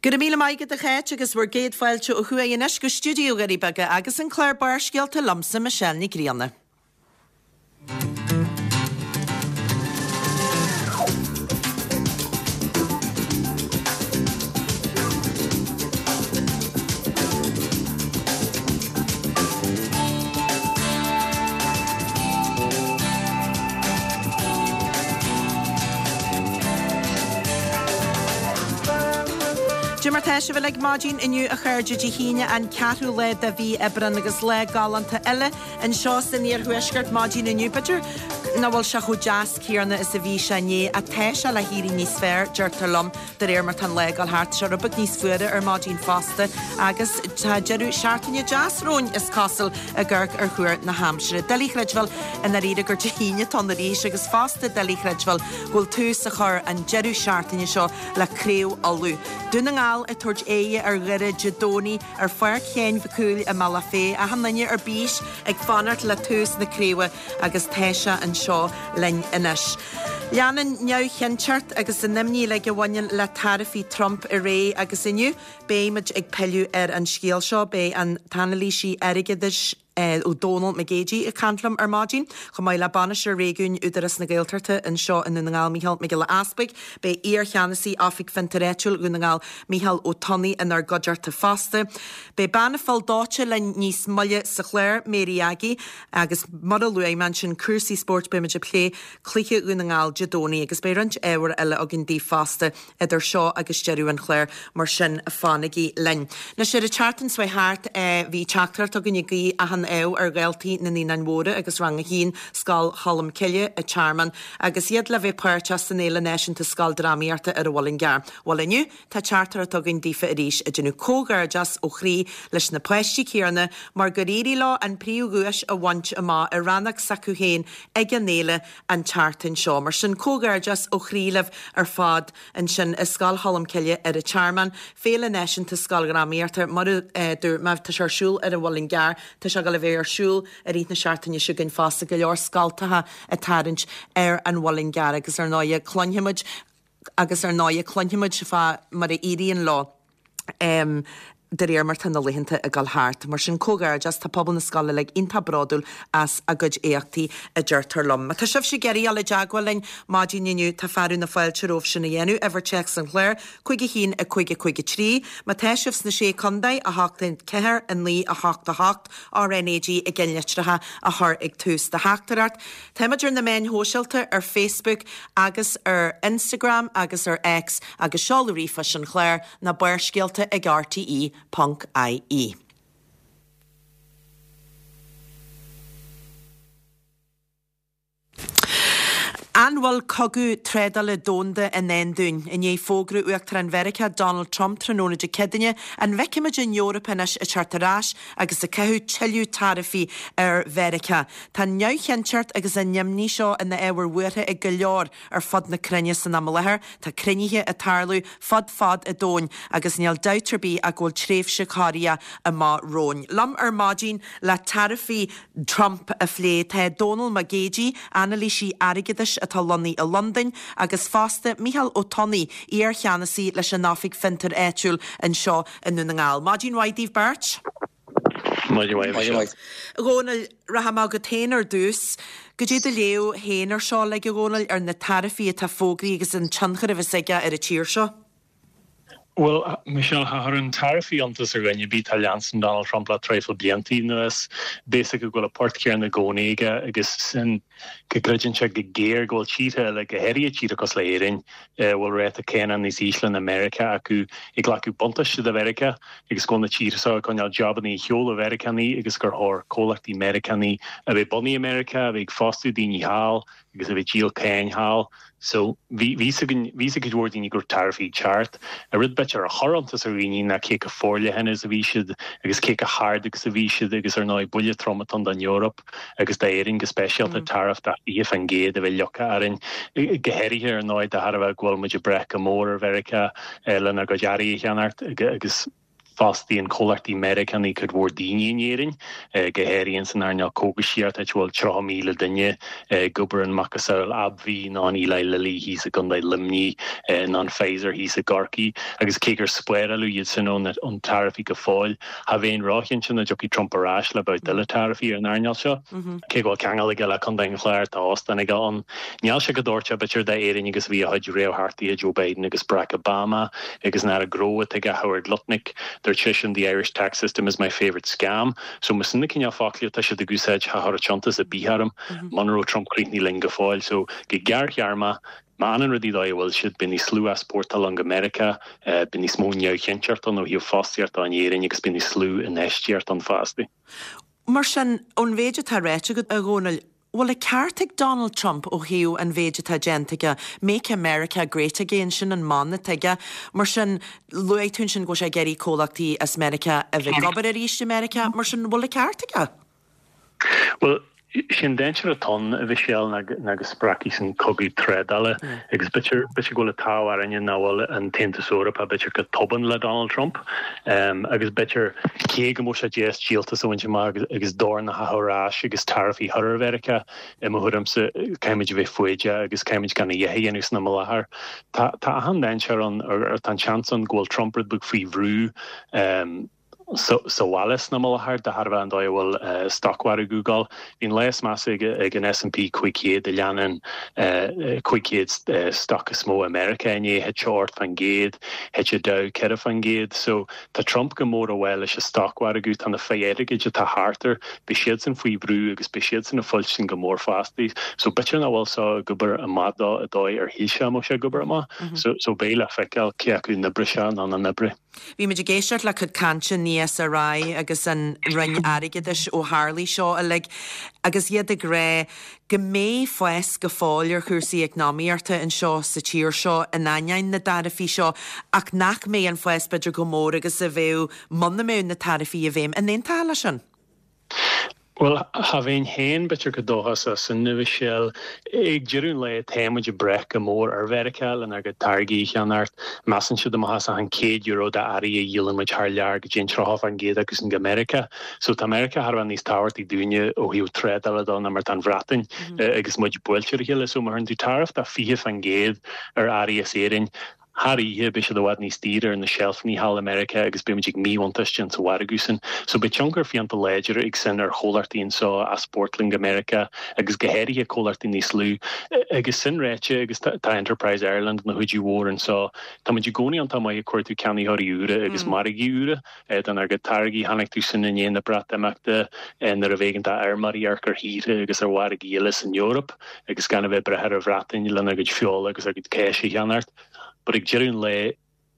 Go raibh míle maith agat a Cháit agus bhur gcéad fáilte ó thuaidh anois go stiúideo Dhoirí Beaga agus an clár Barrscéalta liomsa Michelle Ní Grianna. Cad é mar tá sibh uilig maidin inniu a chairde Dé hAoine an ceathrú lá de mhí Aibreán agus lá galánta eile anseo san iarthuaisceart maidin inniu. B'fhéidir nach bhfuil sé chomh deas céanna is a bhí sé inné ach tá sé le héirí níos fearr, deirtear liom, de réir mar tá an lá ag dul thart. Tá sé rud beag níos fuaire ar maidin fosta agus tá deireadh seachtaine deas romhainn, is cosúil, ag amharc ar thuar na haimsire. Doiligh a chreidbheáil i ndáiríre gur Dé hAoine atá ann arís agus fosta doiligh a chreidbheáil go bhfuil tús á chur an deireadh seachtaine seo le Craobh Uladh. Dún na nGall ag tabhairt aghaidhe ar Dhoire Dé Domhnaigh ar Pháirc Sheáin Mhic Cumhaill i mBealach Féich. Achan duine ar bís ag fanacht le tús na craoibhe agus tá sé anseo linn anois. Leanann neamhchinnteacht agus an imní uilig a bhaineann le taraifí Trump ar aghaidh agus inniu beidh muid ag pilleadh ar an scéal seo. Beidh an t-anailísí airgeadais Dónal Mac Géidigh ag caint liom ar maidin, chomh maith le Bainisteoir Réigiúin Údarás na Gaeltachta anseo i nDún na nGall, Micheál Mac Giolla Easpaig. Beidh iar-cheannasaí Oifig Fiontair Áitiúil Dhún na nGall, Micheál Ó Tonnaigh inár gcuideachta fosta. Beidh bean an Phoill Dóite linn níos moille sa chlár, Mary Aggie, agus mar a luaigh mé ansin, cúrsaí spóirt, beidh muid ag plé cluiche Dhún na nGall Dé Domhnaigh agus beidh roinnt ábhair eile againn daoibh fosta idir seo agus deireadh an chláir, mar sin fanaigí linn. Anois ar an tseachtain seo thart bhí teachtaireacht againn ag guí achan ádh ar dhaltaí na Naíonáin Mhóra agus Rang a hAon, Scoil Cholm Cille, an Tearmann, agus iad le bheith páirteach san Fhéile Náisiúnta Scoildrámaíochta ar an Mhuileann gCearr. Bhuel inniu tá teachtaireacht againn daofa arís ag déanamh comhghairdeas ó chroí leis na páistí céanna mar gur éirigh leo an príomhdhuais a bhaint amach i rannóg s'acu féin ag an fhéile an tseachtain seo. Mar sin, comhghairdeas ó chroí libh ar fad ansin i Scoil Cholm Cille ar an Tearmann, Féile Náisiúnta Scoildhrámaíochta, mar a dúirt mé, tá sé ar siúl ar an Mhuileann gCearr, tá sé ag dul a bheith ar siúl i rith na seachtaine seo chugainn fosta, go leor scoltacha ag tarraingt ar an Mhuileann gCearr agus ar ndóighe cluinfimid agus ar ndóighe cluinfimid fá mar a éiríonn leo. De réir mar tá na laethanta ag dul thart. Mar sin, comhghairdeas, tá pobal na scoile uilig iontach bródúil as a gcuid éachtaí, a deirtear liom. Má tá sibhse ag iarraidh dul i dteagmháil linn maidin inniu, tá fearadh na fáilte romhaibh sin a dhéanamh, uimhir téacs an chláir, 5 1 5 5 3. Má tá sibh sna Sé Contae, 8 4 9 8 8, RnaG i gceannlitreacha a chur ag tús do theachtaireacht. Táimid ar na meáin shóisialta, ar Facebook agus ar Instagram agus ar X agus seoladh ríomhphoist an chláir, ná Barrscéalta ag rte ponc ie. An bhfuil cogadh trádála domhanda i ndán dúinn? I ndiaidh fógra Uachtarán Mheiriceá Donald Trump tráthnóna Dé Céadaoine, an bhfeicfimid an Eoraip anois ag teacht ar ais agus ag caitheamh tuilleadh taraifí ar Mheiriceá? Tá an neamhchinnteacht agus an imní seo ina ábhar buartha ag go leor ar fud na cruinne san am i láthair. Tá cruinnithe ag tarlú fud fad an domhain agus níl dabht ar bith ach go bhfuil tréimhse corraithe amach romhainn. Liom ar maidin le taraifí Trump a phlé tá Dónal Mac Géidigh, anailísí airgeadais atá lonnaithe i Londain, agus fosta Micheál Ó Tonnaigh, iar-cheannasaí leis an Oifig Fiontair Áitiúil anseo i nDún na nGall. Maidin mhaith daoibh beirt. Maidin mhaith, Michelle. A Dhónaill, rachaidh mé chugat féin ar dtús. Goidé do léamh féin ar seo uilig, a Dhónaill, ar na taraifí atá fógraithe agus an tionchar a bheas aige ar an tír seo? Bhuel, Michelle, cha chuireann taraifí iontas ar dhuine ar bith atá ag leanstan Donald Trump le traidhfil bliantaí anuas. Beidh a fhios acu go bhfuil an port céanna i gcónaí aige agus sin go gcreideann sé go géar go bhfuil tíortha eile, go háirithe tíortha cosúil le Éirinn, a bhfuil ráta cánach níos ísle ná Meiriceá acu, ag glacadh buntáiste de Mheiriceá agus go bhfuil na tíortha seo ag coinneáil jabannaí ar shiúl ó Mheiriceánaigh agus gur chóir comhlachtaí Meiriceánaigh a bheith bunaithe i Meiriceá, a bheith ag fostú daoine thall agus a bheith ag díol cáin thall. So, bhí fhios againn, bhí fhios ag cuid mhór daoine go raibh taraifí ag teacht. An rud b'fhéidir a chuir iontas ar dhaoine ná cé chomh forleathan is a bhí siad agus cé chomh hard agus a bhí siad agus ar ndóigh buille trom atá ann don Eoraip agus d'Éirinn go speisialta, taraif de 20% a bheith leagtha orainn, go háirithe ar ndóigh de thairbhe go bhfuil muid ag brath go mór ar Mheiriceá lenár gcuid earraí a cheannacht agus. Fostaíonn comhlachtaí Meiriceánaí cuid mhór daoine in Éirinn, go háirithe san earnáil cógaisíochta, áit a bhfuil 30,000 duine ag obair in macasamhail AbbVie nó an Eli Lilly thíos i gContae Luimnigh nó an Pfizer thíos i gCorcaigh. Agus cé gur spáráladh iad sin ó na taraifí go fóill, cha bheinn róchinnte nach dtiocfaidh Trump ar ais le babhta eile taraifí ar an earnáil seo. Cé go bhfuil ceangal aige le Contae an Chláir, tá óstán aige ann. Níl sé chomh dóiteach b'fhéidir d'Éirinn agus a bhí a chuid réamhtheachtaithe Joe Biden agus Barack Obama agus an Aire Gnó atá aige Howard Lutnick. Dúirt seisean The Irish tax system is my favourite scam. So más sin na cineál foclaí atá siad ag úsáid cha chuirfeadh iontas ar bith orm muna raibh Trump críochnaithe linn go fóill. So go gearrthéarmach, má fhanann rudaí dóigh a bhfuil siad, beidh níos lú easpórtáil ann go Meiriceá, beidh níos mó neamhchinnteacht ann ó thaobh fostaíochta in Éirinn agus beidh níos lú infheistíocht ann fosta. Mar sin, ón mhéid atá ráite agat, a Dhónaill, bhfuil an ceart ag Donald Trump ó thaobh an mhéid atá déanta aige, Make America Great Again, sin an mana atá aige. Mar sin, luaigh tú ansin go bhfuil sé ag iarraidh comhlachtaí as Meiriceá a bheith ag obair arís i Meiriceá, mar sin, bhfuil an ceart aige? Bhuel, sé an dainséar atá ann, a Mhichelle, ná go spreagfaidh sin cogadh trádála agus b'fhéidir go bhfuil an t-ádh orainne nach bhfuil an tAontas Eorpach b'fhéidir chomh tobann le Donald Trump agus b'fhéidir cé go mbeadh sé deas díoltas a bhaint amach agus dorn a chaitheamh ar ais agus taraifí a chur ar Mheiriceá, i mo thuairimse caithfimid a bheith foighdeach agus caithfimid gan a dhath a dhéanamh san am i láthair. Tá achan dainséar ann, tá an seans ann go bhfuil Trump rud beag faoi bhrú. Sa bhaile san am i láthair, de thairbhe an dóigh a bhfuil stocmhargadh ag gabháil. Bhí an lá is measa ag an S&P 500 a leanann 500 stoc is mó i Meiriceá inné, thit sé 8%, thit an Dow 4%. So tá Trump go mór i bhfách leis an stocmhargadh, tá na fir airgid atá thart air, beidh siadsan faoi bhrú agus beidh siadsan ag fuilstin go mór fosta. So b'fhéidir nach bhfuil seo ag obair amach dó an dóigh ar shíl sé go mbeadh sé ag obair amach. So beidh le feiceáil cé acu an oibreoidh sé nó nach n-oibreoidh. Bhí muid ag éisteacht le cuid cainte an ESRI agus an Roinn Airgeadais ó tharlaigh seo uilig agus iad ag rá go mbeidh fás go fóill ar chúrsaí eacnamaíochta anseo sa tír seo in ainneoin na dtaraifí seo ach nach mbeidh an fás b'fhéidir chomh mór agus a bheadh muna mbeadh na taraifí i bhfeidhm. An aontófá leis sin? Bhuel, cha bheinn féin b'fhéidir chomh dóchasach sin, a Mhichelle. Ag deireadh an lae, tá muid ag brath go mór ar Mheiriceá lenár gcuid táirgí a cheannacht. Measann siad amach as achan €100 d'earraí a dhíolann muid thar lear go dtéann 30% acu sin go Meiriceá. So tá Meiriceá thar a bheith níos tábhachtaí dúinne ó thaobh trádála de ná mar atá an Bhreatain agus muid buailte ar a chéile. So má chuireann tú taraif de 20% ar earraí as Éirinn, Thar oíche, beidh siad i bhfad níos daoire ar na seilfeanna thall i Meiriceá agus beidh muid ag míbhuntáiste insa mhargadh sin. So beidh tionchar fiánta láidir ag sin ar chomhlachtaí anseo a easpórtálann go Meiriceá agus go háirithe comhlachtaí níos lú. Agus sin ráite, agus tá Enterprise Ireland ina chuidiú mhór anseo, tá muid i gcónaí iontach maith ag cuartú ceannaitheoirí úra agus margaí úra donár gcuid táirgí. Chonaic tú sin i ndiaidh na Breatimeachta nuair a b'éigean d'fheirmeoirí amharc ar thíortha agus ar mhargaí eile san Eoraip agus gan a bheith ag brath ar an Bhreatain lenár gcuid feola agus ár gcuid cáise a cheannacht. But ag deireadh an lae,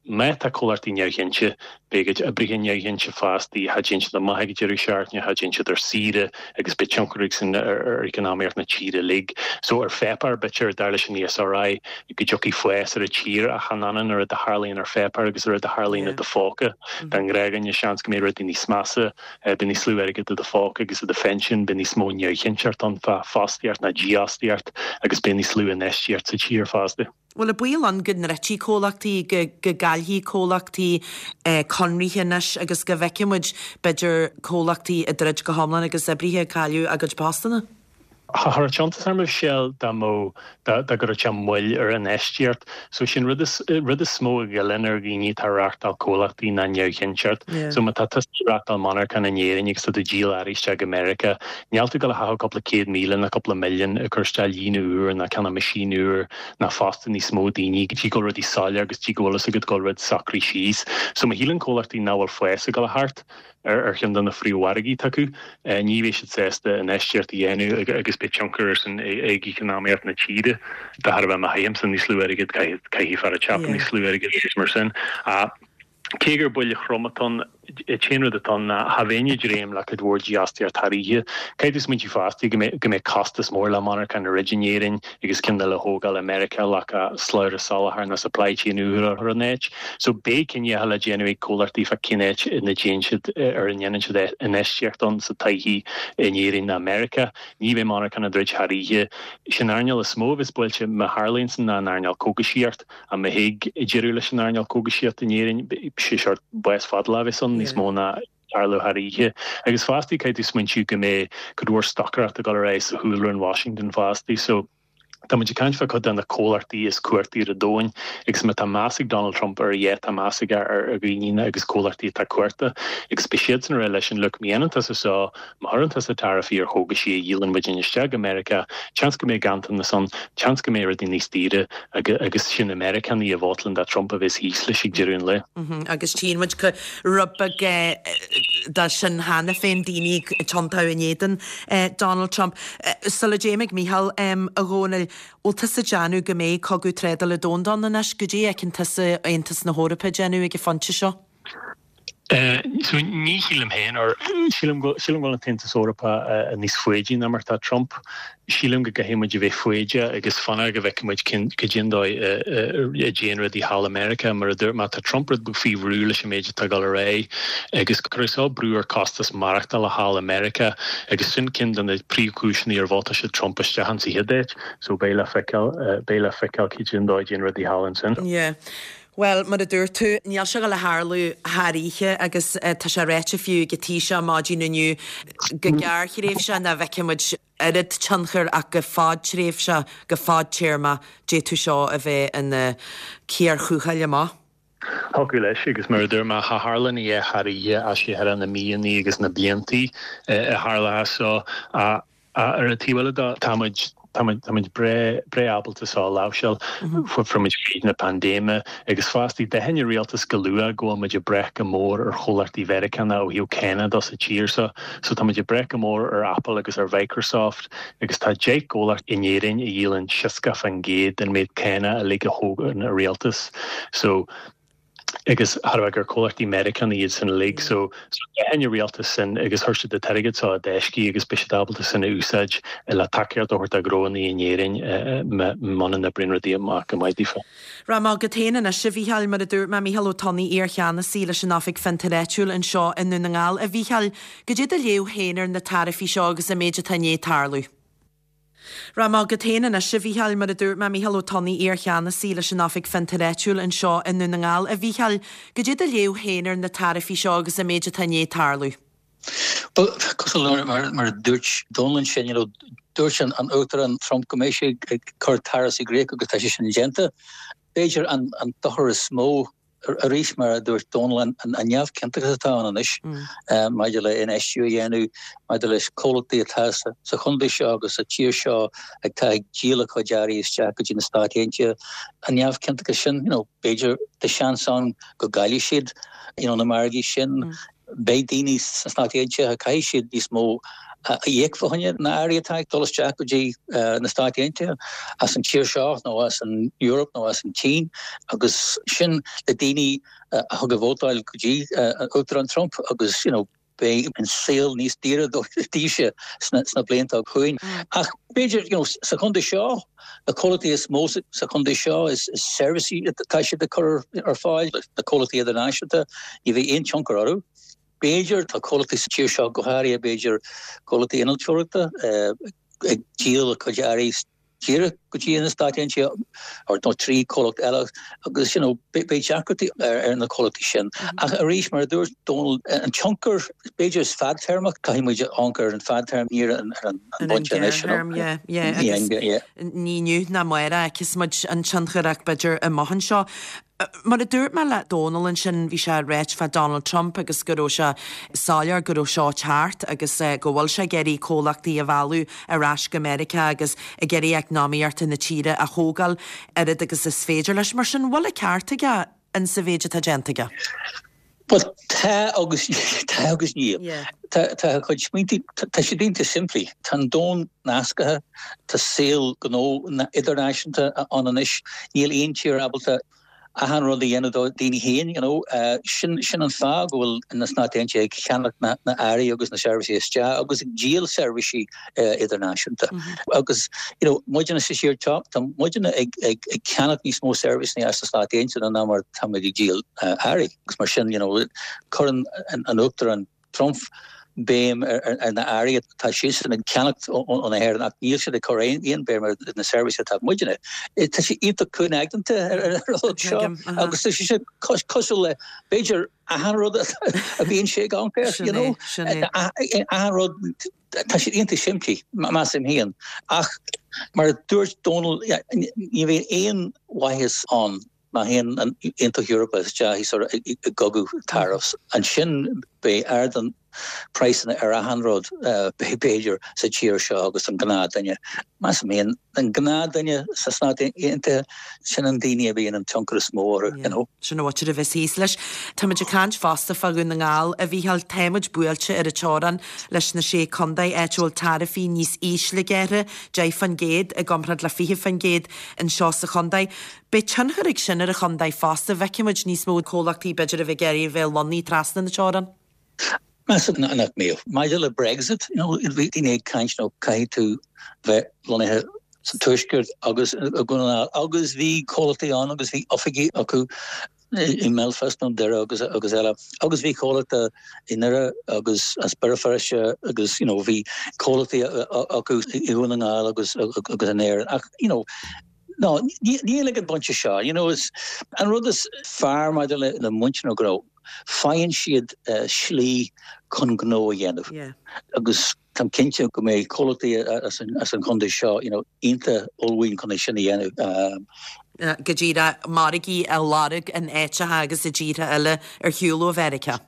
má tá comhlachtaí neamhchinnte, beidh a gcuid oibrithe neamhchinnte fosta, cha dtéann siad amach ag deireadh seachtaine, cha dtéann siad ar saoire agus beidh tionchar ag sin ar eacnamaíocht na tíre uilig. So ar pháipéar, b'fhéidir, dar leis an ESRI, go dtiocfaidh fás ar an tír ach chan ionann an rud a tharlaíonn ar pháipéar agus an rud a tharlaíonn i do phóca. Don ghnáthdhuine, seans go mbeidh rudaí níos measa, beidh níos lú airgid i do phóca agus i do phension, beidh níos mó neamhchinnteacht ann fá fostaíocht ná dífhostaíocht agus beidh níos lú infheistíocht sa tír fosta. Bhuel, an baol ann go ndruidfidh comhlachtaí, go gcaillfidh comhlachtaí conraithe anois agus go bhfeicfidh muid, b'fhéidir, comhlachtaí ag druid go hiomlán agus oibrithe ag cailleadh a gcuid postanna? Cha chuirfeadh iontas orm a Mhichelle dá mbeadh, dá gcuirfeadh sé moill ar infheistíocht. So sin rud is, rud is mó a ghoilleann ar dhaoine atá ag reachtáil comhlachtaí ná neamhchinnteacht. So má tá tusa ag reachtáil monarchan in Éirinn agus tá tú ag díol earraí isteach go Meiriceá, níl tú ag dul a chaitheamh cúpla 100,000 ná cúpla milliún ag cur isteach líne úr ná ceannach machine úr ná fostú níos mó daoine go dtí go bhfuil rudaí soiléir agus dtí go bhfuil fhios agat go bhfuil rud socraithe síos. So má shíleann comhlachtaí nach bhfuil fás ag dul a theacht, ar cheann de na phríomh-mhargaí atá acu. Ní bheidh siad sásta infheistíocht a dhéanamh agus beidh tionchar air sin ag eacnamaíocht na tíre. De thairbhe má chaithimse níos lú airgid, caithfidh fear an tsiopa níos lú airgid agus mar sin. Cé gur buille throm atá ann. An t-aon rud atá ann ná cha bheinn ag dréim le cuid mhór dífhostaíocht thar oíche. Caithfidh tú smaointiú fosta go mbeidh go mbeidh costas mór le monarchan a dhruid in Éirinn agus ceann eile a thógáil i Meiriceá le slabhra soláthair nó supply chain úr a chur in áit. So beidh cinneadh le déanamh ag comhlachtaí fá cén áit ina dtéann siad ar a ndéanann siad infheistíocht ann sa todhchaí in Éirinn nó Meiriceá. Ní bheidh monarchan á druid thar oíche. Sin earnáil is mó a bheas buailte má tharlaíonn san ná an earnáil cógaisíocht. Ach má thig deireadh leis an earnáil cógaisíochta in Éirinn, sé seort bás fadálach a bheas ann, níos mó ná tarlú thar oíche. Agus fostaí, caithfidh tú smaointiú go mbeidh cuid mhór stocaireacht ag dul ar aghaidh sa chúlra in Washington fostaí. So, tá muid ag caint fá cuid de na comhlachtaí is cumhachtaí ar an domhain agus má tá meas ag Donald Trump ar a dhath, tá meas aige ar dhaoine agus comhlachtaí atá cumhachtach agus beidh siadsan ag rá leis an look, má dhéanann tusa seo, Má chuireann tusa taraifí ar chógaisí a dhíolann muidinne isteach go Meiriceá, seans go mbeidh ganntanas ann, seans go mbeidh rudaí níos daoire agus sin na Meiriceánaigh a vótálann do Trump a bheas thíos leis ag deireadh an lae. Agus tchíonn muid rud beag de sin cheana féin, daoine ag tiontú in éadan Donald Trump. Sula dtéim ag Mícheál, a Dhónaill, bhfuil tusa ag déanamh go mbeidh cogadh trádála domhanda ann anois? Goidé a fheiceann tusa Aontas na hEorpa ag déanamh ag an phointe seo? So ní shílim féin, or sílim go sílim go bhfuil an tAontas Eorpach níos foighidí ná mar atá Trump. Sílim go gcaithfidh muid a bheith foighdeach agus fanacht go bhfeicfidh muid cén cad é an dóigh a a dtéann rudaí thall i Meiriceá. Mar a dúirt mé, tá Trump rud beag faoi bhrú leis an méid atá ag dul ar aghaidh agus cuirfidh seo brú ar costas maireachtála thall i Meiriceá agus sin ceann de na príomhchúiseanna ar vótáil siad Trump isteach insa chéad áit. So beidh le feiceáil, beidh le feiceáil cad é an dóigh a dtéann rudaí thall ansin. Yeah. Bhuel, mar a dúirt tú, níl sé ag dul a tharlú thar oíche agus tá sé ráite fiú ag an Taoiseach maidin inniu go gearrthréimhseach nach bhfeicfidh muid oiread tionchair ach go fadtréimhseach, go fadtéarmach, d'fhéadfadh seo a bheith ina cíor thuathail amach. Thiocfadh leis agus mar a dúirt mé, cha tharlaíonn a dhath thar oíche ach sé thar na míonna agus na bliantaí a tharlóidh seo. Ar an taobh eile de, tá muid, tá muid, tá muid breá, breá ábalta seo a láimhseáil. Fuair muid fríd na paindéime agus fostaí d'aithin an rialtas go luath go bhfuil muid ag brath go mór ar chomhlachtaí Mheiriceána ó thaobh cánach de sa tír seo. So tá muid ag brath go mór ar Apple agus ar Mhicrosoft agus tá 10 gcomhlacht in Éirinn a dhíolann 60% den méid cánach uilig a thógann an rialtas. So. agus thar a bheith gur comhlachtaí Meiriceánacha iad san uilig so d'aithin an rialtas sin agus chuir siad an t-airgead seo i dtaisce agus beidh siad ábalta sin a úsáid le tacaíocht a thabhairt do ghnóanna in Éirinn muna n-oibríonn rudaí amach go maith daofa. Rachaidh mé chugat féin anois, a Mhícheáil, mar a dúirt mé, Mícheál Ó Tonnaigh, iar-cheannasaí leis an Oifig Fiontair Áitiúil anseo i nDún na nGall. A Mhícheáil, goidé do léamh féin ar na taraifí seo agus an méid atá i ndiaidh tarlú? Rachaidh mé chugat féin anois, a Mhícheáil, mar a dúirt mé, Mícheál Ó Tonnaigh, iar-cheannasaí leis an Oifig Fiontair Áitiúil anseo i nDún na nGall. A Mhícheáil, goidé do léamh féin ar na taraifí seo agus an méid atá i ndiaidh tarlú? Bhuel, cosúil le mar a dúirt Dónal ansin, you know, dúirt an Uachtarán Trump go mbeidh sé ag cur taraifí i gcrích agus tá sé sin déanta. B'fhéidir an dochar is mó Arís, mar a dúirt Dónal, an neamhchinnteachas atá ann anois maidir le infheistiú a dhéanamh, maidir leis comhlachtaí atá sa chontae seo agus sa tír seo atá ag díol a cuid earraí isteach go dtí na Stáit Aontaithe, an neamhchinnteachas sin, you know, b'fhéidir tá seans ann go gcaillfidh siad, you know, na margaí sin. Beidh daoine sna Stáit Aontaithe, caithfidh siad níos mó a íoc fá choinne na earraí atá ag dul isteach go dtí na Stáit Aontaithe as an tír seo nó as an Eoraip nó as an tSín agus sin na daoine a thug a vótáil go dtí an Uachtarán Trump agus you know beidh an saol níos daoire daofa sna blianta chugainn. Ach b'fhéidir you know sa chontae seo, na comhlachtaí is mó sa chontae seo is seirbhísí atá siad ag cur ar fáil, na comhlachtaí idirnáisiúnta, ní bheidh aon tionchar orthu. B'fhéidir, tá comhlachtaí sa tír seo, go háirithe b'fhéidir comhlachtaí innealtóireachta, ag díol a cuid earraí díreach go dtí na Stáit Aontaithe nó trí chomhlacht eile agus you know beidh deacrachtaí ar na comhlachtaí sin. Ach arís, mar a dúirt Dónal, an tionchar b'fhéidir is fadtéarmach, caithfidh muid amharc ar an fadtéarma, ní ar an An gearrthéarma, yeah, yeah, agus ní inniu ná amárach a fheicfeas muid an tionchar ach b'fhéidir amach anseo. Mar a dúirt mé le Dónal ansin, bhí sé ag ráit fá Donald Trump agus go raibh sé soiléir go raibh seo ceart agus go bhfuil sé ag iarraidh comhlachtaí a mhealladh ar ais go Meiriceá agus ag iarraidh eacnamaíocht na tíre a thógáil oiread agus is féidir leis. Mar sin, bhfuil an ceart aige in sa mhéid atá déanta aige? Bhuel, tá agus tá agus níl. Tá tá a chuid smaointe, tá siad iontach simplí. Tá an domhan nasctha, tá saol gnó idirnáisiúnta ann anois. Níl aon tír ábalta. achan rud a dhéanamh do daoine féin, you know. Sin, sin an fáth go bhfuil na Stáit Aontaithe ag ceannach na, na earraí agus na seirbhísí isteach agus ag díol seirbhísí idirnáisiúnta. Agus, you know, muidne sa tír seo, tá muidne ag, ag, ag ceannach níos mó seirbhísí as na Stáit Aontaithe ná mar táimid ag díol earraí. Agus mar sin, you know, cuireann an, an Uachtarán Trump béim ar na earraí atá siadsan ag ceannacht ó na hÉireann ach níl siad ag cur aon béim ar na seirbhísí atá muidne. Tá sé iontach cúngaigeanta ar an rud seo agus tá sé cosúil le b'fhéidir achan rud a bhíonn sé ag amharc air, you know. Achan rud tá siad iontach simplí, measaim féin. Ach mar a dúirt Dónal, ní bheidh aon mhaitheas ann Má théann an Aontas Eorpach isteach i gcogadh tariffs, ansin beidh ardú praghsanna ar achan rud, b'fhéidir, sa tír seo agus an gnáthdhuine. Measaim féin, an gnáthdhuine sna Stáit Aontaithe, sin an daoine a bhíonn an tionchar is mó orthu, you know. Sin a mhuintir a bheas thíos leis. Táimid ag caint fosta fá Dhún na nGall, a Mhícheáil. Táimid buailte ar an teorainn leis na Sé Contae, áit a bhfuil taraifí níos ísle gearrtha, 10% i gcomparáid le 20% anseo sa chontae. Beidh tionchar ag sin ar an chontae fosta, feicfimid níos mó comhlachtaí b'fhéidir a bheith ag iarraidh a bheith lonnaithe trasna na teorann. Measaim nach mbeadh. Maidir le Brexit, you know, bhí daoine ag caint nó caithfidh tú bheith lonnaithe sa Tuaisceart agus i nDún na nGall agus bhí comhlachtaí ann agus bhí oifigí acu i mBelfast nó Doire agus agus eile agus bhí comhlachtaí i nDoire agus as Béal Feirste agus you know bhí comhlachtaí acu i Dhún na nGall agus agus in Éirinn ach you know No, níl ag an bpointe seo. You know, is an rud is fearr maidir le le muintir na gnó, faigheann siad slí chun gnó a dhéanamh. Yeah. Agus táim cinnte go mbeidh comhlachtaí as an as an chontae seo, you know, iontach ullmhaithe chun é sin a dhéanamh. Go díreach, margaí a lorg in áiteacha agus i dtíortha eile ar shiúl ó Mheiriceá.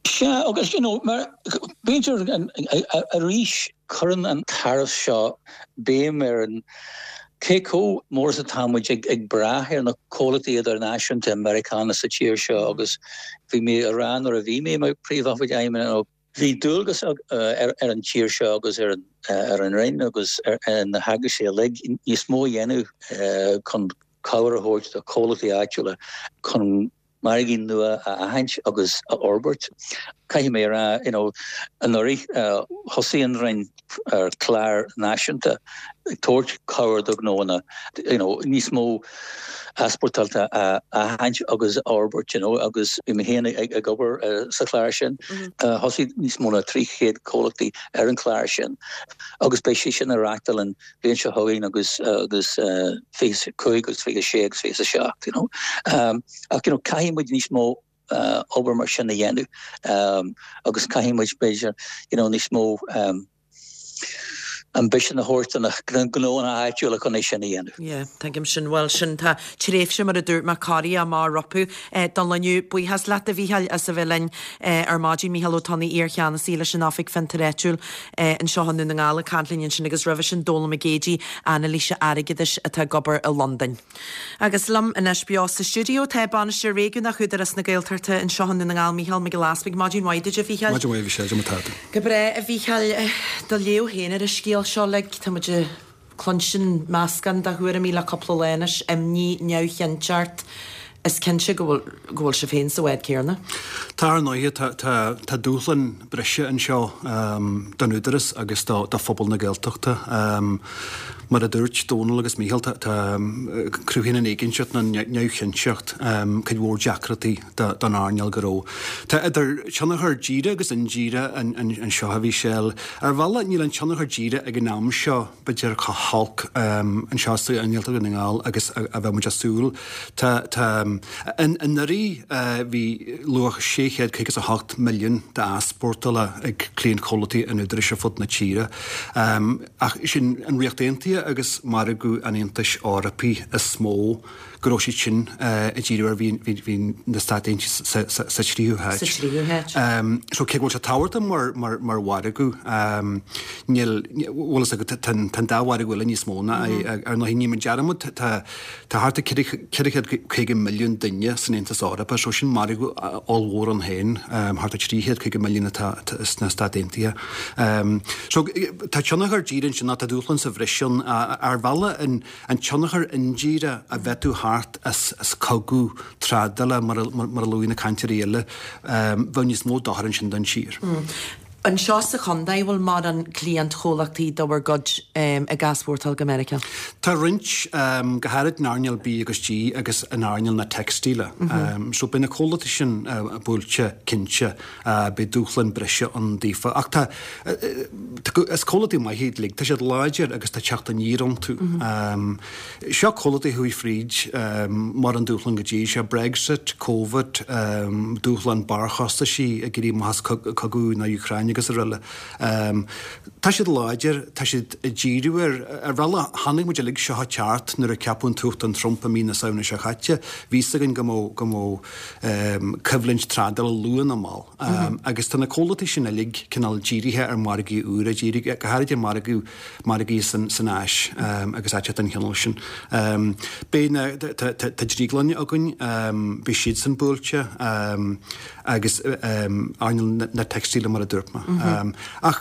Sea, agus you know, mar b'fhéidir arís cuireann an tariff seo béim ar an cé chomh mór is atá muid ag ag brath ar na comhlachtaí idirnáisiúnta Meiriceánacha sa tír seo agus bhí mé a rá nuair a bhí mé mar Príomhoifigeach Fheidhmeannais bhí dualgas ar ar an tír seo agus ar an ar an Roinn agus ar na heagraisí uilig níos mó a dhéanamh chun cabhair a thabhairt do chomhlachtaí áitiúla chun margaí nua a aithint agus a fhorbairt. Caithfidh mé a rá, you know, anuraidh thosaigh an Roinn ar chlár náisiúnta ag tabhairt cabhair do ghnóanna, you know, níos mó easpórtáilte a aithint agus a fhorbairt, you know, agus bhí mé féin ag obair sa chlár sin. Thosaigh níos mó ná 300 comhlachtaí ar an chlár sin agus beidh sé sin á reáchtáil an bhliain seo chugainn agus agus 25 agus 26 agus 27 you know. Ach you know caithfidh muid níos mó obair mar sin a dhéanamh agus caithfidh muid b'fhéidir you know níos mó ambition a thabhairt do na gnóanna áitiúla chun é sin a dhéanamh. Yeah, tuigim sin. Bhuel, sin tá tréimhse mar a dúirt mé corraithe amach rompu don lá inniu. Buíochas leat a Mhícheáil as a bheith linn ar maidin. Mícheál Ó Tonnaigh, iar-cheannasaí leis an Oifig Fiontair Áitiúil anseo i nDún na nGall ag caint linn ansin agus roimhe sin Dónal Mac Géidigh, anailísí airgeadais atá ag obair i Londain. Agus liom anois beo sa stiúideo tá Bainisteoir Réigiúnach Údarás na Gaeltachta anseo i nDún na nGall, Mícheál Mac Giolla Easpaig. Maidin mhaith duit a Mhícheáil. Maidin mhaith a Mhichelle, cad é mar atá tú? Go breá a Mhícheáil. Do léamh féin ar an scéal seo like, tá muid ag cluinstin meascán de thuairimí le cúpla lá anois, imní, neamhchinnteacht. Is cinnte go bhfuil, go bhfuil sibh féin sa bhád céanna. Tá ar ndóighe, tá, tá, tá dúshlán breise anseo don Údarás agus do, do phobal na Gaeltachta. Mar a dúirt Dónal agus Mícheál, tá, tá, cruthaíonn an éiginnteacht nó an neamhchinnteacht cuid mhór deacrachtaí do, don earnáil gnó. Tá idir tionchar díreach agus indíreach anseo a Mhichelle. Ar bhealach níl an tionchar díreach ag an am seo, b'fhéidir chomh holc anseo sa nGaeltacht Dhún na nGall agus a bheadh muid ag súil. Tá, tá, anuraidh bhí luach 658 milliún d'easpórtála ag cliantchomhlachtaí an Údaráis ar fud na tíre. Ach sin an Ríocht Aontaithe agus margadh an Aontais Eorpaigh is mó. go raibh siad sin ag díriú air, bhí na Stáit Aontaithe sa tríú háit. Sa tríú háit. So cé go bhfuil sé tábhachtach mar mar mhargadh, níl, bhfuil fhios agat, tá an dá mhargadh eile níos mó ná é. Ar ndóigh, ní déanaim dearmad, tá thart ar 450 milliún duine san Aontas Eorpach, so sin margadh ollmhór ann féin, thart ar 350 milliún atá sna Stáit Aontaithe. So tá tionchar díreach ansin, tá dúshlán sa bhreis ann. Ar bhealach, an tionchar indíreach a bheadh thart. teacht as cogadh trádála mar a luaigh na cainteoirí eile, bheadh níos mó dochair ansin don tír. Anseo sa chontae, bhfuil mórán cliantchomhlachtaí de bhur gcuid ag easpórtáil go Meiriceá? Tá roinnt, go háirid in earnáil B agus G agus in earnáil na teicstíle. So beidh na comhlachtaí sin buailte, cinnte. Beidh dúshlán breise ann daofa. Ach tá, is comhlachtaí maithe iad uilig. Tá siad láidir agus tá teacht aniar iontu. Seo comhlachtaí a chuaigh fríd mórán dúshlán go dtí seo, Brexit, Covid, dúshlán barrchostaisí ag éirí amach as cogadh na Úcráine agus araile. Tá siad láidir, tá siad ag díriú ar, ar bhealach, chonaic muid uilig seo ag teacht nuair a ceapadh an tUachtarán Trump i mí na Samhna seo chaite. Bhí fhios againn go mbeadh, go mbeadh coimhlint trádála luath nó mall. Agus tá na comhlachtaí sin uilig cineál dírithe ar mhargaí úra, dírithe go háirid ar mhargadh margaí san Áis agus áiteacha den chineál sin. Beidh na, tá drioglanna againn, beidh siadsan buailte agus earnáil na teicstíle mar a dúirt mé. Ach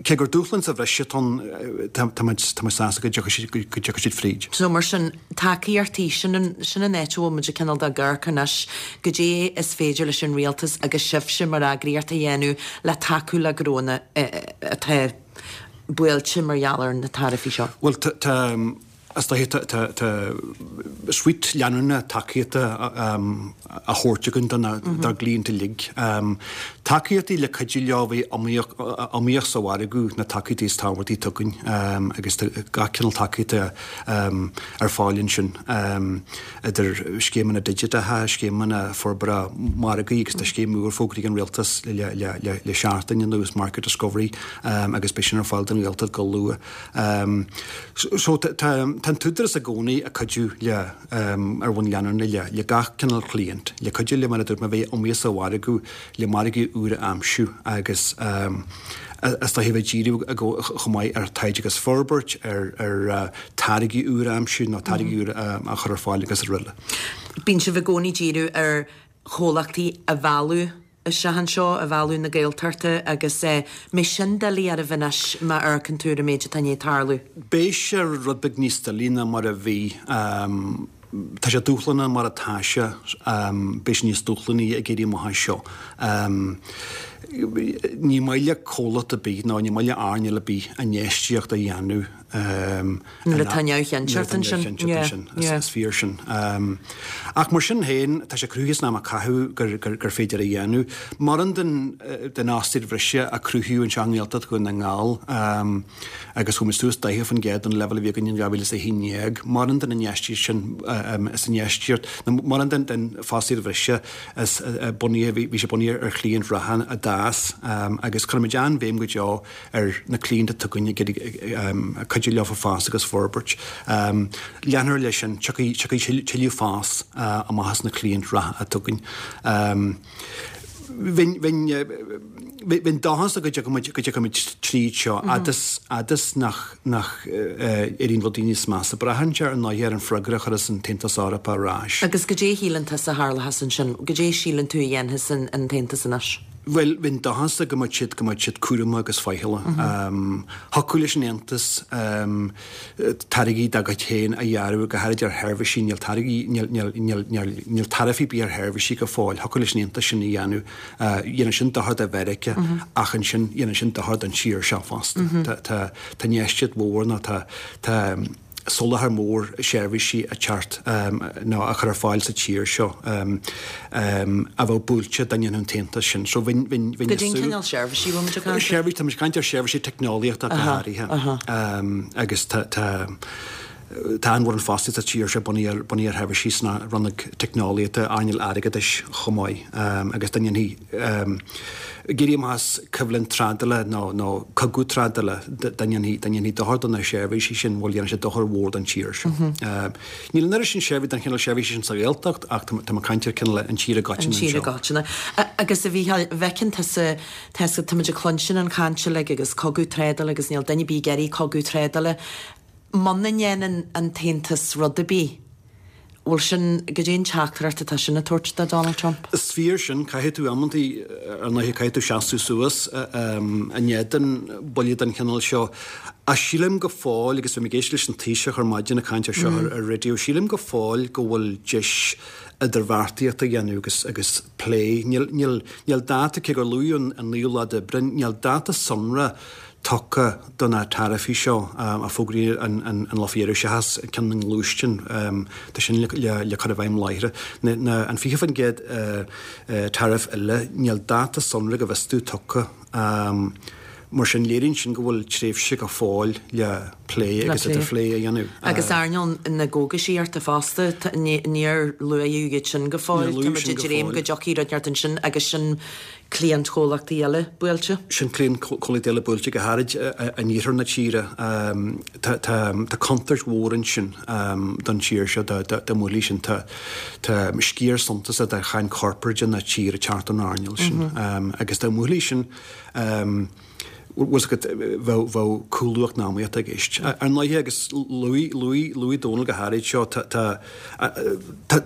cé gur dúshlán sa bhreis atá ann, tá muid sásta go dtiocfaidh siad, go dtiocfaidh siad fríd. So mar sin, tacaíochtaí, sin an, sin an áit a bhfuil muid ag cineál ag amharc anois, goidé is féidir leis an rialtas agus sibhse mar eagraíocht a dhéanamh le tacú le gnónna atá buailte mar gheall ar na taraifí seo? Bhuel, tá, is dóiche, tá, tá suite leanúnach tacaíochta á thabhairt againn dár gcliaint uilig. Tacaíochtaí le cuidiú leo bheith iomaíoch, iomaíoch sa mhargadh, na tacaíochtaí is tábhachtaí atá againn agus tá gach cineál tacaíochta ar fáil ansin. idir scéimeanna digiteacha, scéimeanna forbartha margaí agus tá scéim úr fógraithe ag an Rialtas le seachtain anuas, Market Discovery, agus beidh sin ar fáil don Ghaeltacht go luath. So tá an tÚdarás i gcónaí ag cuidiú le, ar bhonn leanúnach le gach cineál cliant, le cuidiú le mar a dúirt mé bheith iomaíoch sa mhargadh, le margaí úra a aimsiú agus is dóiche bheith ag díriú chomh maith ar taighde agus forbairt, ar táirgí úra a aimsiú nó táirgí úra a chur ar fáil agus araile. Bíonn sibh i gcónaí ag díriú ar chomhlachtaí a mhealladh isteach anseo, a mhealladh na Gaeltachta agus an mbeidh sin doiligh oraibh anois má amharcann tú ar an méid atá i ndiaidh tarlú? Beidh sé rud beag níos doilí ná mar a bhí. Tá sé dúshlánach mar atá sé, beidh sé níos dúshlánaí ag éirí amach as seo. Ní maith le comhlacht ar bith nó ní maith le earnáil ar bith infheistíocht a dhéanamh nuair atá neamhchinnteacht ansin. Is fíor sin. Ach mar sin féin, tá sé cruthaithe san am a caitheadh gur féidir a dhéanamh. Mórán den fhostaíocht bhreise a cruthaíodh anseo i nGaeltacht Dhún na nGall, agus chuaigh muid suas 40% ón leibhéal a bhí againn in 2011. Mórán den infheistíocht sin is infheistíocht, nó mórán den den fostaíocht bhreise is bunaithe, bhí sé bunaithe ar chliaint reatha a d'fhás agus cuirimid an-bhéim go deo ar na cliaint atá againn ag iarraidh cuidiú leofa fás agus forbairt. Leanfar leis sin, tiocfaidh tiocfaidh tuilleadh fás amach as na cliaint reatha atá againn. Bheinn, bheinn, bheinn dóchasach go dtiocfaimid, go dtiocfaimid tríd seo, fhad is, fhad is nach, nach éiríonn rudaí níos measa. Braitheann sé ar ndóigh ar an freagra a chuirfeas an tAontas Eorpach ar ais. Agus goidé a shíleann tusa a tharlóchas ansin? Goidé a síleann tú a dhéanfas an, an tAontas anois? Bhuel, bheinn dóchasach go mbeadh siad, go mbeadh siad cúramach agus faichilleach. Thiocfadh leis an Aontas táirgí dá gcuid féin a ghearradh, go háirid ar sheirbhísí, níl táirgí, níl, níl, níl, níl, níl taraifí ar bith ar sheirbhísí go fóill. Thiocfadh leis an Aontas sin a dhéanamh. Dhéanfadh sin dochar do Mheiriceá ach ansin dhéanfadh sin dochar don tír seo fosta. Tá, tá, tá infheistíocht mhór nó tá, tá soláthar mór seirbhísí ag teacht nó á chur ar fáil sa tír seo a bheadh buailte dá ndéanfadh an tAontas sin. So bheinn, bheinn, bheinn ag súil. Goidé an cineál seirbhísí a bhfuil muid ag caint air? Seirbhísí, tá muid ag caint ar sheirbhísí teicneolaíochta go háirithe agus tá, tá, tá an-mhórán fostaíocht sa tír seo bunaithe ar, bunaithe ar sheirbhísí sna rannóg teicneolaíochta, earnáil airgeadais chomh maith agus dá ndéanfaí, Ag éirí amach as coimhlint trádála nó cogadh trádála, dá ndéanfaí dochar do na seirbhísí sin, bhuel, dhéanfadh sé dochar mhór don tír seo. Níl an oiread sin seirbhísí den chineál seirbhísí sin sa Ghaeltacht ach tá mé ag caint ar cineál an tír i gcoitinne anseo. An tír i gcoitinne. Agus a Mhícheáil, an bhfeiceann tusa, táimid ag cluinstin an chaint uilig agus cogadh trádála agus níl duine ar bith ag iarraidh cogadh trádála. Muna ndéanann an tAontas rud ar bith. Bhfuil sin, goidé an teachtaireacht atá sin ag tabhairt do Donald Trump? Is fíor sin, caithfidh tú amantaí, ar ndóighe, caithfidh tú seasamh suas in éadan buille den chineál seo. Ach sílim go fóill, agus bhí mé ag éisteacht leis an Taoiseach ar maidin ag caint ar seo ar an raidió, sílim go fóill go bhfuil deis idirbheartaíocht a dhéanamh agus agus plé. Níl, níl, níl dáta, cé gur luadh an naoú lá d'Aibreán, níl dáta sonrath tugtha do na taraifí seo a fógraíodh an lá faoi dheireadh, seachas ceann na ngluaisteán, tá sin le cur i bhfeidhm láithreach. An 20% tariff eile, níl dáta sonrath go bhfios domh tugtha. Mar sin, léiríonn sin go bhfuil tréimhse go fóill le plé agus idirphlé a dhéanamh. Agus earnáil na gcógaisíochta fosta, níor luadh iad sin go fóill. Tá muid ag dréim go dtiocfaidh rud inteacht ansin agus sin cliantchomhlachtaí eile buailte. Sin cliantchomhlachtaí eile buailte, go háirid in iarthar na tíre. Tá contúirt mhór ansin don tír seo dá mbuailfí sin. Tá sciar suntasach de cháin chorparáide na tíre ag teacht ón earnáil sin. Agus dá mbuailfí sin, bhfuil 's agat, bheadh cúlú eacnamaíochta i gceist. Ar ndóighe, agus luaigh Dónal go háirid seo, tá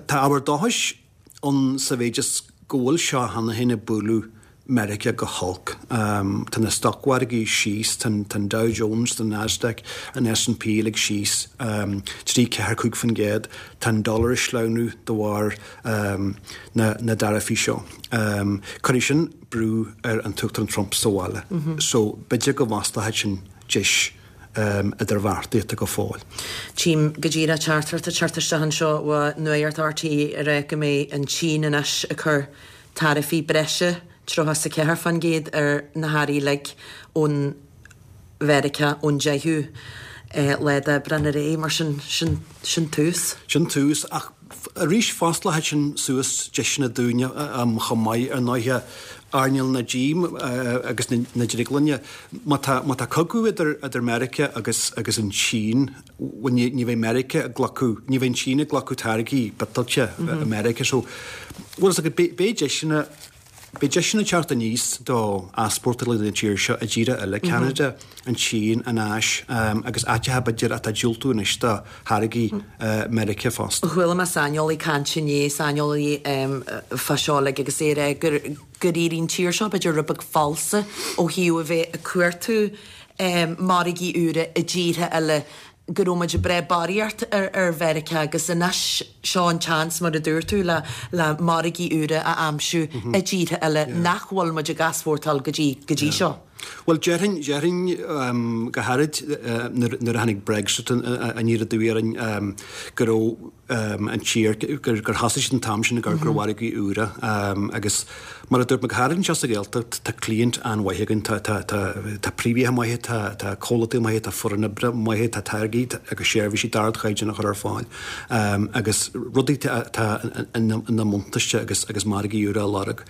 ábhar dóchais ann sa mhéid is go bhfuil seo cheana féin ag bualadh Meiriceá go holc. Tá na stocmhargaí síos, tá an Dow Jones, tá an Nasdaq, an S&P uilig síos 3, 4, 5%. Tá an dollar ag sleamhnú de bharr na dtaraifí seo. Cuirfidh sin brú ar an tUachtarán Trump sa bhaile. So b'fhéidir go bhfosclóidh sin deis idirbheartaíochta go fóill. Tchím go díreach teachtaireacht ag teacht isteach anseo ó Nuacht RTÉ ag rá go mbeidh an tSín anois ag cur taraifí breise 34% ar na hearraí uilig ón Mheiriceá ón 10ú lá d'Aibreán ar aghaidh, mar sin, sin, sin tús. Sin tús, ach arís fosclóidh sin suas deiseanna dúinne chomh maith, ar ndóighe, earnáil na dí agus na drioglainne. Má tá, má tá cogadh idir, idir Meiriceá agus, agus an tSín, bhuel ní, ní bheidh Meiriceá ag glacadh, ní bheidh an tSín ag glacadh táirgí biotáilte i Meiriceá. So, bhfuil fhios agat, beidh, beidh deiseanna, Beidh deiseanna ag teacht aníos do easpórtálaithe na tíre seo i dtíortha eile, Ceanada, an Tsín, an Áis agus áiteacha b'fhéidir atá ag diúltú anois do tháirgí Meiriceá fosta. Chuala mé saineolaí ag caint inné, saineolaí fá seo uilig agus é ag rá gur gur éirigh an tír seo b'fhéidir rud beag falsa ó thaobh a bheith ag cuartú margaí úra i dtíortha eile go raibh muid ag breith barraíocht ar Mheiriceá agus anois seo an tseans, mar a dúirt tú, le le margaí úra a aimsiú i dtíortha eile nach bhfuil muid ag easpórtáil go dtí go dtí seo. Bhuel, déarfainn, déarfainn go háirid nuair a tháinig Brexit aniar aduaidh orainn go raibh an tír, gur thosaigh siad an t-am sin ag amharc ar mhargaí úra agus mar a dúirt mé, go háirid anseo sa Ghaeltacht, tá cliaint an-mhaith againn, tá, tá, tá, tá príomhoidí maithe, tá, tá comhlachtaí maithe, tá foireann oibre maithe, tá táirgí agus seirbhísí d'ardchaighdeán a chur ar fáil agus rudaí atá ina mbuntáiste agus, agus margaí úra á lorg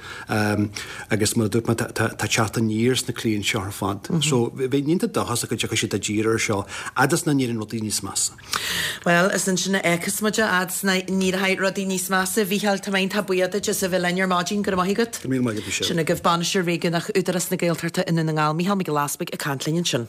agus mar a dúirt mé, tá, tá, tá teacht aniar sna cliaint seo ar fad. So bheinn iontach dóchasach go dtiocfaidh siad i dtír ar seo fhad is nach n-éiríonn rudaí níos measa. Bhuel, is ansin a fheicfeas muid é, fhad is nach n-éireoidh rudaí níos measa. A Mhícheáil, tá mé iontach buíoch duit as a bheith linn ar maidin. Go raibh maith agat. Go raibh míle maith agat, Michelle. Sin agaibh Bainisteoir Réigiúnach Údarás na Gaeltachta i nDún na nGall, Mícheál Mac Giolla Easbuig ag caint linn ansin.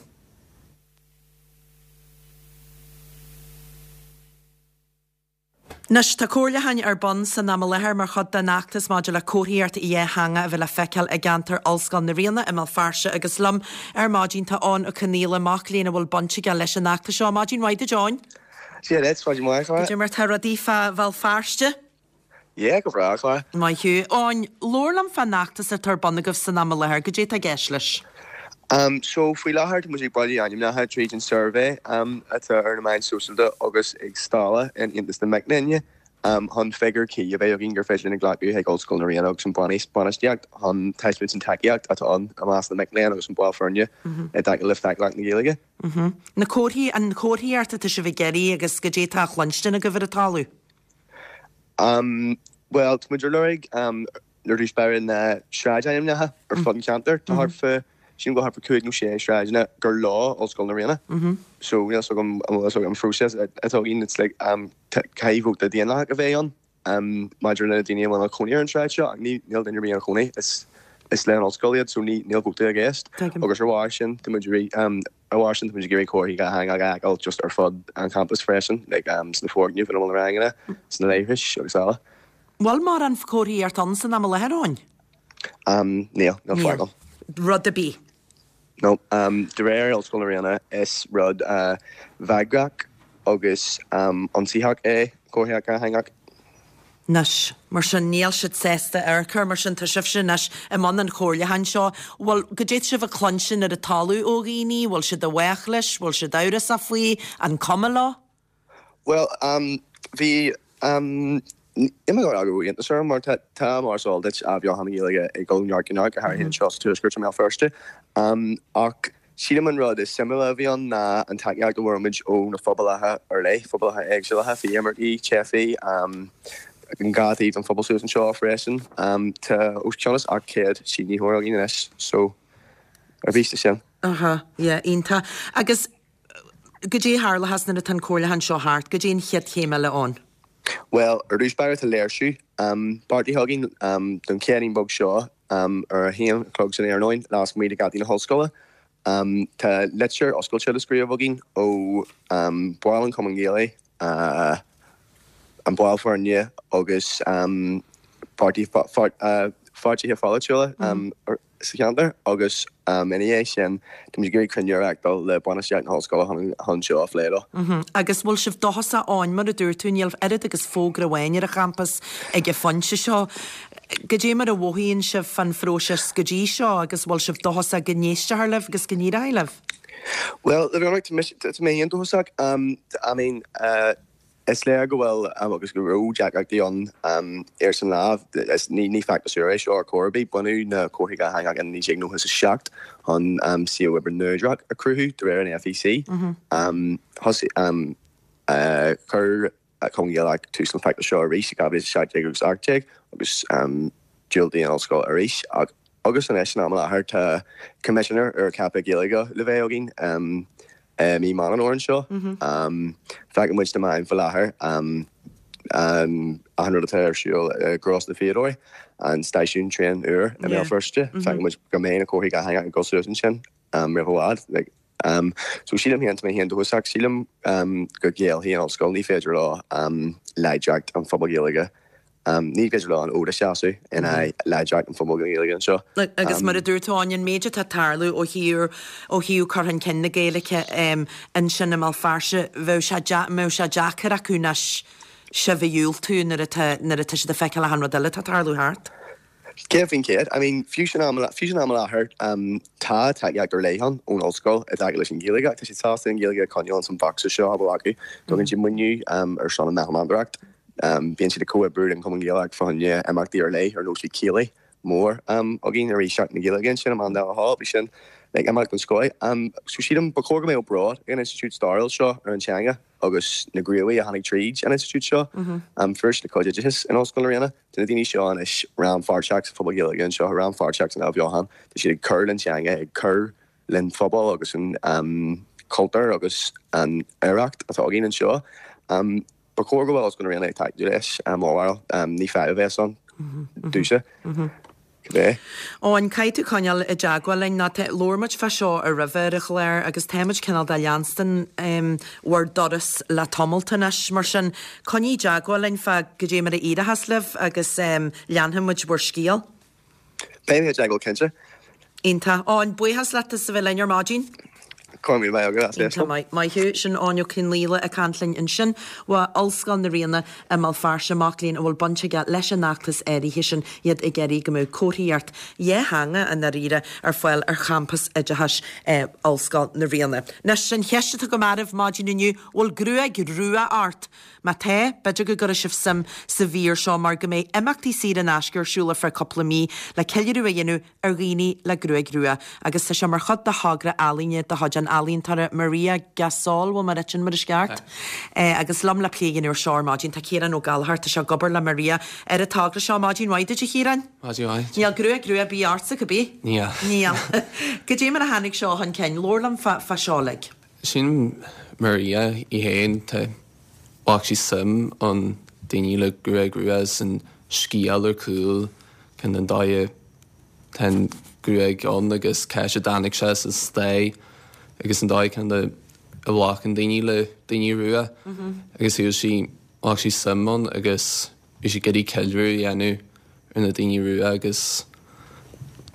Anois, tá comhairliúcháin ar bun san am i láthair mar chuid den fheachtas maidir le comharthaíocht dhátheangach a bheith le feiceáil i gceantar Ollscoil na Ríona i mBéal Feirste agus liom ar maidin tá Eoin Ó Conghaile, mac léinn a bhfuil baint aige leis an fheachtas seo. Maidin mhaith duit, Eoin. Dia duit, maidin mhaith, a Chláire. Cad é mar tá rudaí fá Bhéal Feirste? Yeah, go breá, a Chláire. Maith thú. Eoin, labhair liom fán fheachtas atá ar bun agaibh san am i láthair, goidé atá i gceist leis? So, faoi láthair tá muid ag bailiú ainmneacha tríd an suirbhé atá ar na meáin sóisialta agus ag stála in Aontas na Mic Léinn chun figiúr cuí a bheith againn gur féidir linn a ghlacadh chuig Ollscoil na Ríona agus an bainistíocht chun taispeáint an tacaíocht atá ann i measc na mic léinn agus an ball foirne i dtaca le feidhmiúlacht na Gaeilge. Na comharthaí, an chomharthaíocht atá sibh ag iarraidh agus goidé atá á chluinstin agaibh ar an talamh? Bhuel, tá muid ar lorg Ar dtús báire na sráidainmneacha ar fud an cheantair. Tá thart fá, sílim go bhfuil thart fá 5 nó 6 sráideanna gur leo Ollscoil na Ríona. So níl fhios agam an bhfuil fhios agat an phróiseas atá againn, it's like caithfidh vóta daonlathach a bheith ann maidir le na daoine a bhfuil ina cónaí ar an sráid seo ach níl duine ar bith ina chónaí. Is. Is le an ollscoil iad so ní níl vóta i gceist. Agus ar bharr sin tá muid ar bharr sin tá muid ag iarraidh comharthaí dhátheangach a fheiceáil just ar fud an champais freisin, like sna foirgnimh ina bhfuil na ranganna, sna leithris agus eile. Bhfuil mórán comharthaíocht ann san am i láthair, Eoin? Níl, níl faic ann. Rud ar bith. No. De réir Ollscoil na Ríona is rud bagrach agus ionsaitheach é comharthaíocht dhátheangach. Anois, mar sin, níl siad sásta amharc air, mar sin tá sibhse anois i mbun an chomhairliúcháin seo. Bhfuil, goidé tá sibh ag cluinstin ar an talamh ó dhaoine, bhfuil siad i bhfách leis, bhfuil siad amhrasach faoi, an cuma leo? Bhuel, bhí, níl mé ag rá go raibh iontas orm mar tá, tá, mar is eol duit, athbheochan na Gaeilge ag dul ó neart go neart, go háirithe anseo sa Tuaisceart i mBéal Feirste. Ach sílim an rud is suimiúla a bhí ann ná an tacaíocht a bhfuair muid ó na phobalacha ar leith, phobalacha éagsúlacha, faoi imircigh, teifigh, an dhá taobh den phobal suas anseo freisin. Tá os cionn is 800 sínitheoir againn anois, so ar bís de sin. Aha, yeah, iontach. Agus Goidé a tharlóchas nuair atá an comhairliúchán seo thart? Goidé an chéad chéim eile ann? Bhuel, ar dtús báire tá léirsiú beartaithe againn don Chéadaoin beag seo ar a haon a chlog san iarnóin lasmuigh de gheataí na hollscoile. Tá litir oscailte le scríobh againn ó bhaill an Chumainn Ghaelaigh, an baill foirne agus páirtithe pholaitiúla sa cheantar agus ina dhiaidh sin tá muid ag iarraidh cruinniú a reáchtáil le bainistíocht na hollscoile chun seo a phlé leo. Agus bhfuil sibh dóchasach Eoin, mar a dúirt tú, níl oiread agus fógra amháin ar an champas ag an phointe seo. Goidé mar a mhothaíonn sibh fán phróiseas go dtí seo agus bhfuil sibh dóchasach go n-éistfear libh agus go n-éireoidh libh? Bhuel, le bheith ionraic, tá mé féin dóchasach. I mean, Is léir go bhfuil agus go raibh deacrachtaí ann ar san lá. Ní feachtas úr é seo ar chor ar bith. Baineadh na comharthaí dhátheangacha in 1997 chun suíomh oibre neodrach a chruthú de réir an FEC. Thosaigh chuir Cumann Gaelach tús leis an bhfeachtas seo arís i 2017 agus 18 agus diúltaigh an ollscoil arís ach agus anois san am i láthair tá coimisinéir úr ceaptha Gaeilge le bheith againn. I mí Meán an Fhómhair anseo, feiceann muid sna meáin faoi láthair achan rud atá ar siúl i gCros na bhFiadóirí, an stáisiún traein úr i mBéal Feirste. Feiceann muid go mbeidh na comharthaí dhátheangacha ag dul suas ansin roimh i bhfad. So sílim féin, tá mé féin dóchasach, sílim go gcéillfidh an ollscoil, ní féidir leo láidreacht an phobail Ghaeilge Ní féidir leo an fód a sheasamh in aghaidh láidreacht an phobail Ghaeilge anseo. Agus mar a dúirt tú, Eoin, an méid atá ag tarlú ó thaobh ó thaobh cur chun cinn na Gaeilge ansin i mBéal Feirste, bheadh sé mbeadh sé deacair acu anois sibh a dhiúltú nuair atá nuair atá siad ag feiceáil achan rud eile atá ag tarlú thart. 100%. I mean, fiú san am fiú san am i láthair, tá tacaíocht ar leith ann ón ollscoil i dtaca leis an Ghaeilge ach tá siad sásta an Ghaeilge a choinneáil ins an bhocsa seo a bhfuil acu. Tugann siad maoiniú ar son an Meitheal Meantóireacht. Bíonn siad ag comhoibriú le an Cumann Gaelach fá choinne imeachtaí ar leith ar nós bhí céilí mór againn ar Seachtain na Gaeilge ansin i mBan Dara Hall. Bhí sin like imeacht den scoth. So sílim ba chóir go mbeadh bród ag an institiúid stairiúil seo ar an teanga agus na gníomhaithe a tháinig tríd an institiúid seo. Fuair siad a cuid oideachais in Ollscoil na Ríona. Tá na daoine seo anois rannpháirteach sa phobal Gaeilge anseo, rannpháirteach san athbheochan. Tá siad ag cur len teanga, ag cur len phobal agus an cultúr agus an oidhreacht atá againn anseo. Ba chóir go bhfuil Ollscoil na Ríona ag tacú leis, mo bharúil. Ní fadhb a bheas ann domhsa, cibé. Eoin, caithfidh tú coinneáil i dteagmháil linn, nó tá, labhair muid fá seo ar roimhe ar an chlár agus tá muid cineál de leanstan bhur dturas le tamalt anois, mar sin coinnigh i dteagmháil linn fá goidé mar a éireochas libh agus leanfaidh muid bhur scéal. Beidh mé i dteagmháil cinnte. Iontach. Eoin, buíochas leat as a bheith linn ar maidin. Go raibh míle maith agat as éisteacht. Iontach maith. Maith thú. Sin Eoin Ó Conghaile ag caint linn ansin ó Ollscoil na Ríona i mBéal Feirste, mac léinn a bhfuil baint aige leis an fheachtas áirithe sin, iad ag iarraidh go mbeadh comharthaíocht dhátheangach i ndáiríre ar fáil ar champas oideachais Ollscoil na Ríona. Anois, an cheist atá agam oraibh maidin inniu, bhfuil gruaig rua ort? Má tá, b'fhéidir go gcuirfidh sibh suim sa mhír seo mar go mbeidh imeachtaí saor in aisce ar siúl ar feadh cúpla mí le ceiliúradh a dhéanamh ar dhaoine le gruaig rua agus tá sé mar chuid de thogra ealaíne de chuid an ealaíontóra Maria Gasol, bhfuil mé ag ráit sin mar is ceart? Agus liom le plé a dhéanamh ar seo ar maidin tá Ciarán Ó Gallchóir, tá sé ag obair le Maria ar an togra seo. Maidin mhaith duit a Chiaráin. Maidin mhaith. Níl gruaig rua ar bith ortsa, cibé? Níl. Níl. Goidé mar a tháinig seo chun cinn? Labhair liom fá seo uilig. Sílim Maria í féin, tá, ghlac sí suim ann daoine le gruaig rua is an scéal ar cúl, kind an dóigh a. tá an ghruaig ann agus cá háit a dtáinig sé sa stair agus an dóigh cineál de a ghlacann daoine le daoine rua agus shíl sí, ghlac sí suim ann agus bhí sí ag iarraidh ceiliúradh a dhéanamh ar na daoine rua agus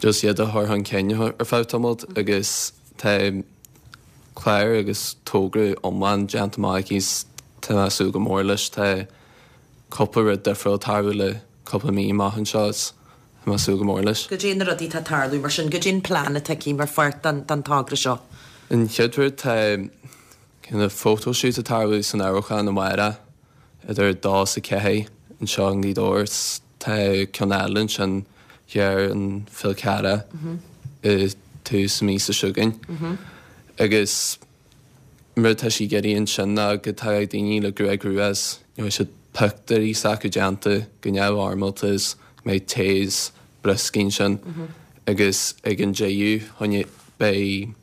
just iad a chur chun cinn ar feadh tamaill agus tá clár agus togra iomlán déanta amach aici is tá mé ag súil go mór leis. Tá cúpla rud difriúil ag tarlú le cúpla mí amach anseo is tá mé ag súil go mór leis. Goidé na rudaí atá ag tarlú mar sin, goidé an plean atá aici mar pháirt den togra seo? An chéad rud tá cineál photoshoot ag tarlú san Amharclann amárach idir 2 is 4 anseo i nGaoth Dobhair is tá ceann eile ansin thiar in Fál Carrach i tús na míosa seo chugainn agus an rud atá sí ag iarraidh ansin ná go dtagadh daoine le gruaig rua is you know beidh pictiúirí s'acu déanta go neamhfhoirmeálta is go mbeidh tae is brioscaí ansin agus ag an deireadh beidh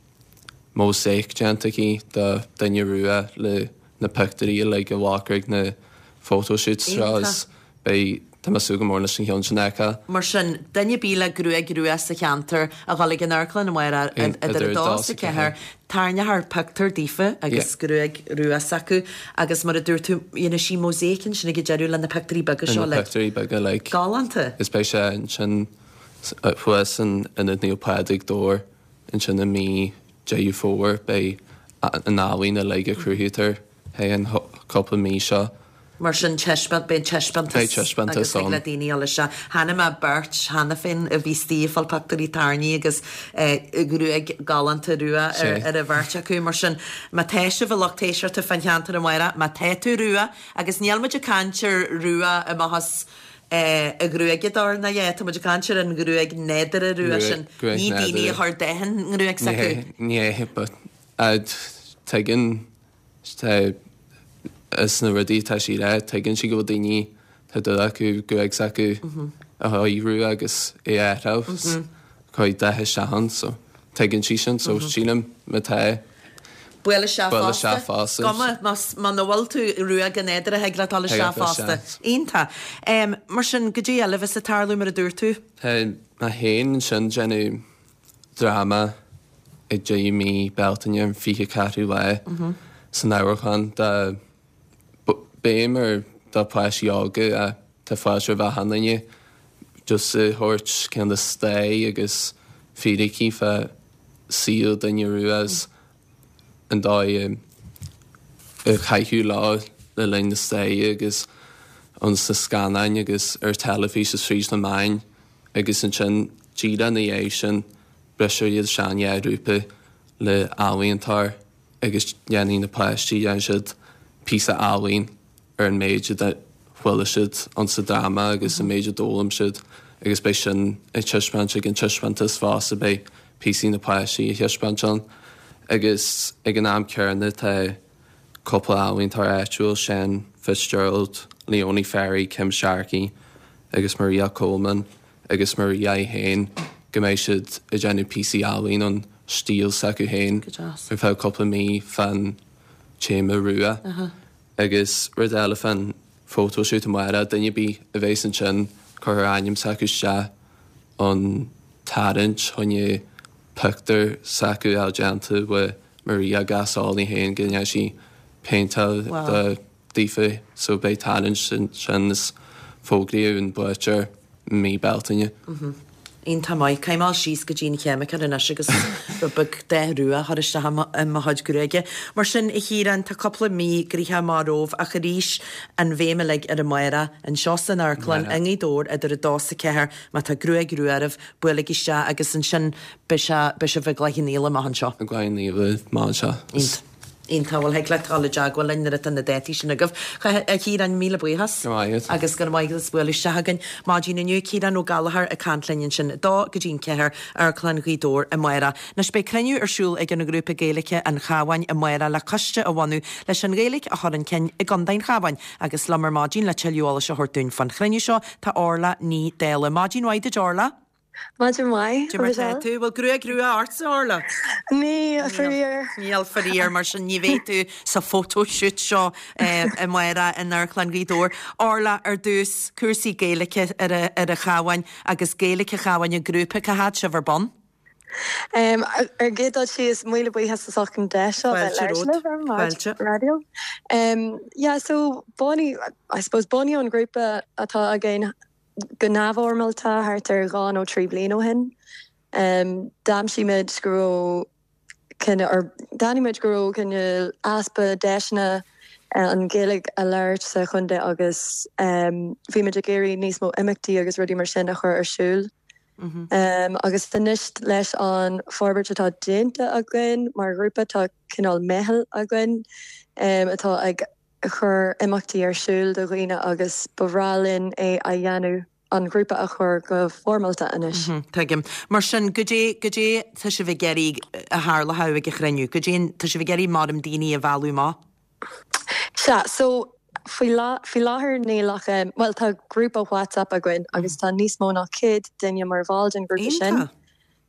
mósáic déanta aici de duine rua le na pictiúirí uilig a ghlacadh ag na photoshoots seo is beidh, tá mé ag súil go mór leis an cheann sin a fheiceáil. Mar sin, duine ar bith le gruaig rua sa cheantar a dhul ag an amharclann amárach idir 2 is 4, tarraingeofar pictiúr daofa agus gruaig rua s'acu agus mar a dúirt tú, dhéanfaidh sí mósáic ansin ag an deireadh le na pictiúirí beaga seo le. Na pictiúirí beaga like. Galánta! Is beidh sé ansin thuas in Ionad Naomh Pádraig, Dobhar. Ansin i mí Deireadh Fómhair beidh an ealaín uilig a chruthaítear thar an cúpla mí seo. Mar sin taispeáint, beidh taispeántas Beidh taispeántas agus thig le ann. daoine dul isteach. Chonaic mé beirt cheana féin a bhí istigh ag fáil pictiúirí tarraingthe agus gruaig galánta rua ar ar an bheirt acu. Mar sin má tá sibh a lucht éisteachta fán cheantar amárach, má tá tú rua, agus níl muid ag caint ar rua amach as a ghruaigeadóir ná é, tá muid ag caint ar an ghruaig nádúrtha rua sin, Gruaig ní daoine a nádúrtha. chuir dath an ngruaig s'acu. Ní hé, but tuigeann tá is na rudaí atá sí a rá, tuigeann sí go bhfuil daoine tá dúil acu gruaig s'acu a bheith rua agus é a athrú, cuir dath isteach ann, so tuigeann sí sin, so sílim má tá Buail isteach Buail fosta. isteach fosta. Cuma más muna bhfuil tú rua go nádúrtha thig leat dul isteach fosta. Iontach. Mar sin, goidé eile a bheas ag tarlú mar a dúirt tú? Tá mé féin ansin déanamh dráma ag deireadh mí Bealtaine an 24ú lá san Amharclann de béim ar do pháistí óga ach tá fáilte roimh achan duine just a thabhairt cineál de stair agus fíricí fá saol duine rua is an dóigh a caitheadh leo le linn na staire agus ann sna scannáin agus ar teilifís is fríd na meáin agus ansin díreach ina dhiaidh sin brisfear iad isteach in dhá ghrúpa le ealaíontóir agus déanfaidh na páistí, déanfaidh siad píosa ealaín ar an méid a chuala siad ann sa dráma agus an méid a d'fhoghlaim siad agus beidh sin ag taispeáint ag an taispeántas fosta, beidh píosaí na páistí a thaispeáint ann agus ag an am céanna tá cúpla ealaíontóir áitiúil, Seán Fitzgerald, Leonie Ferry, Kim Sharkey agus Maria Coleman agus Maria í féin go mbeidh siad ag déanamh píosaí ealaíon ón stíl s'acu féin ar feadh cúpla mí fán téama rua. Agus rud eile fán photoshoot amárach, duine ar bith a bheas ansin cuirfear ainm s'acu isteach an tarraingt choinne pictiúr s'acu a fháil déanta le Maria Gasol í féin go ndéanfaidh sí péinteáil de daofa so beidh tarraingt ansin is fógraíodh an buaiteoir i mí Bealtaine. Iontach maith. Caithfidh mé dul síos go dtí an cheimiceoir anois agus rud beag dath rua a chur isteach i mo chuid gruaige. Mar sin, a Chiaráin, tá cúpla mí gnoitheach amach romhaibh ach arís, an bhéim uilig ar amárach, anseo san amharclann i nGaoth Dobhair idir 2 is 4, má tá gruaig rua oraibh, buailigí isteach agus ansin beidh sé, beidh sibh i gCloich Cheann Fhaola amach anseo. I gCloich Cheann Fhaola amach anseo. Iontach. Iontach, bhuel thig leat dul i dteagmháil linn nuair atá na dátaí sin agaibh. A Chiaráin, míle buíochas. Go raibh maith agat. Agus go raibh maith agat as bualadh isteach chugainn maidin inniu. Ciarán Ó Gallchóir ag caint linn ansin, 2 go dtí an 4, Amharclann Ghaoth Dobhair amárach. Anois beidh cruinniú ar siúl ag an ngrúpa Gaeilge An Chabháin amárach le coiste a bhunú leis an Ghaeilge a chur chun cinn i gContae an Chabháin. Agus liom ar maidin le tuilleadh eolais a thabhairt dúinn fán chruinniú seo tá Orla Ní Dálaigh. Maidin mhaith duit Orla. Maidin mhaith, Cad é mar tá tú? Bhfuil gruaig rua ortsa, Orla? Níl, faraor. Níl, faraor, mar sin ní bheidh tú sa photoshoot seo amárach in Amharclann Ghaoth Dobhair. Orla, ar dtús, cúrsaí Gaeilge ar an Chabhán agus Gaeilge an Chabháin, an grúpa, cá fhad sibh ar bun? Ar an gcéad dul síos, míle buíochas as ucht an deis seo bheith ag labhairt libh ar an Fáilte. raidió. Yeah, so bunaíodh, I suppose, bunaíodh an grúpa atá againn go neamhfhoirmeálta thart ar 2 nó 3 bliain ó shin. D'aimsigh muid go raibh cineál, or d'aithnigh muid go raibh cineál easpa deiseanna an Ghaeilge a labhairt sa chontae agus bhí muid ag iarraidh níos mó imeachtaí agus rudaí mar sin a chur ar siúl. Agus anois leis an forbairt atá déanta againn mar ghrúpa tá cineál meitheal againn atá ag chur imeachtaí ar siúl do dhaoine agus ba bhreá linn é a dhéanamh, an grúpa a chur go foirmeálta anois. Tuigim. Mar sin, goidé, goidé tá sibh ag iarraidh a tharlódh ag an chruinniú? Goidé, tá sibh ag iarraidh maram daoine a mhealladh amach? Sea, so faoi faoi láthair níl ach, bhuel tá grúpa WhatsApp againn agus tá níos mó ná 100 duine mar bhall den ghrúpa sin. Iontach!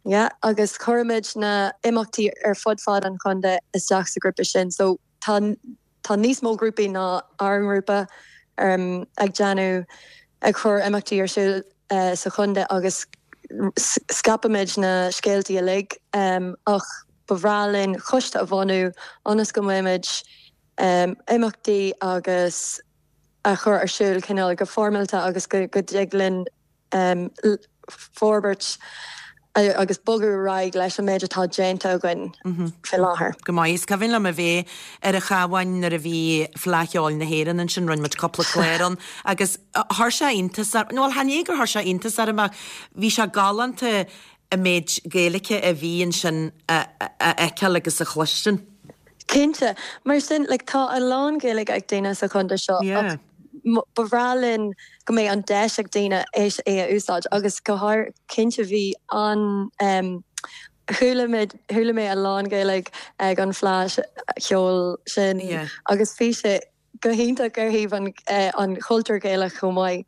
Yeah, agus cuirimid na imeachtaí ar fud fad an chontae isteach sa ghrúpa sin. So tá Tá níos mó grúpaí ná ár ngrúpa ag déanamh, ag cur imeachtaí ar siúl sa chontae agus scaipimid na scéaltaí uilig ach ba bhreá linn coiste a bhunú ionas go mbeimid imeachtaí agus a chur ar siúl cineál go foirmeálta agus go dtig linn forbairt agus bogadh ar aghaidh leis an méid atá déanta againn faoi láthair. Go maith. Is cuimhin liom a bheith ar an Chabhán nuair a bhí Fleadh Cheoil na hÉireann ansin, rinne muid cúpla clár ann agus chuir sé iontas orm, bhuel chan é gur chuir sé iontas orm ach bhí sé galánta an méid Gaeilge a bhí ansin a fheiceáil agus a chloistin. Cinnte. Mar sin, like, tá a lán Gaeilge ag daoine sa chontae seo ach ba bhreá linn go mbeidh an deis ag daoine é a úsáid agus go háir cinnte bhí an em chuala muid chuala mé a lán Gaeilge ag an Fleadh Cheoil sin agus bhí sé go hiontach ar thaobh an an chultúr Gaelach chomh maith.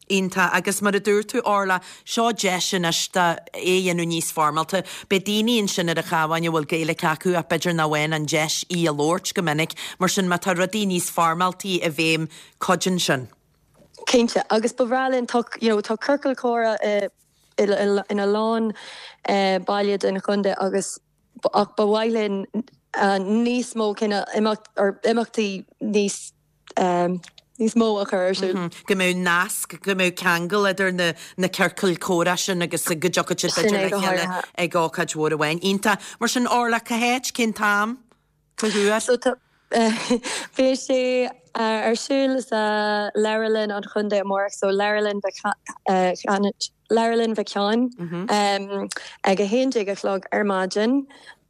Iontach. Agus mar a dúirt tú, Orla, seo deis anois do é a dhéanamh níos foirmeálta. Beidh daoine ansin ar an Chabhán a bhfuil Gaeilge acu ach b'fhéidir nach bhfaigheann an deis í a labhairt go minic. Mar sin, má tá rudaí níos foirmeáltaí i bhfeidhm, cuidíonn sin. Cinnte. Agus ba bhreá linn, tá, you know, tá ciorcal comhrá i, ina lán baile den chontae agus ach ba mhaith linn níos mó cineál imeacht, or imeachtaí níos níos mó a chur ar siúl. Go mbeadh nasc, go mbeadh ceangal idir na na ciorcail comhrá sin agus go dtiocfadh siad b'fhéidir le chéile ag ócáid mhór amháin. Iontach. Mar sin, Orla, cá háit, cén t-am, cá huair? So tá, beidh sé ar siúl sa Leabharlann an Chontae amárach, so Leabharlann Mhic, Leabharlann Mhic Sheáin ag 11 a chlog ar maidin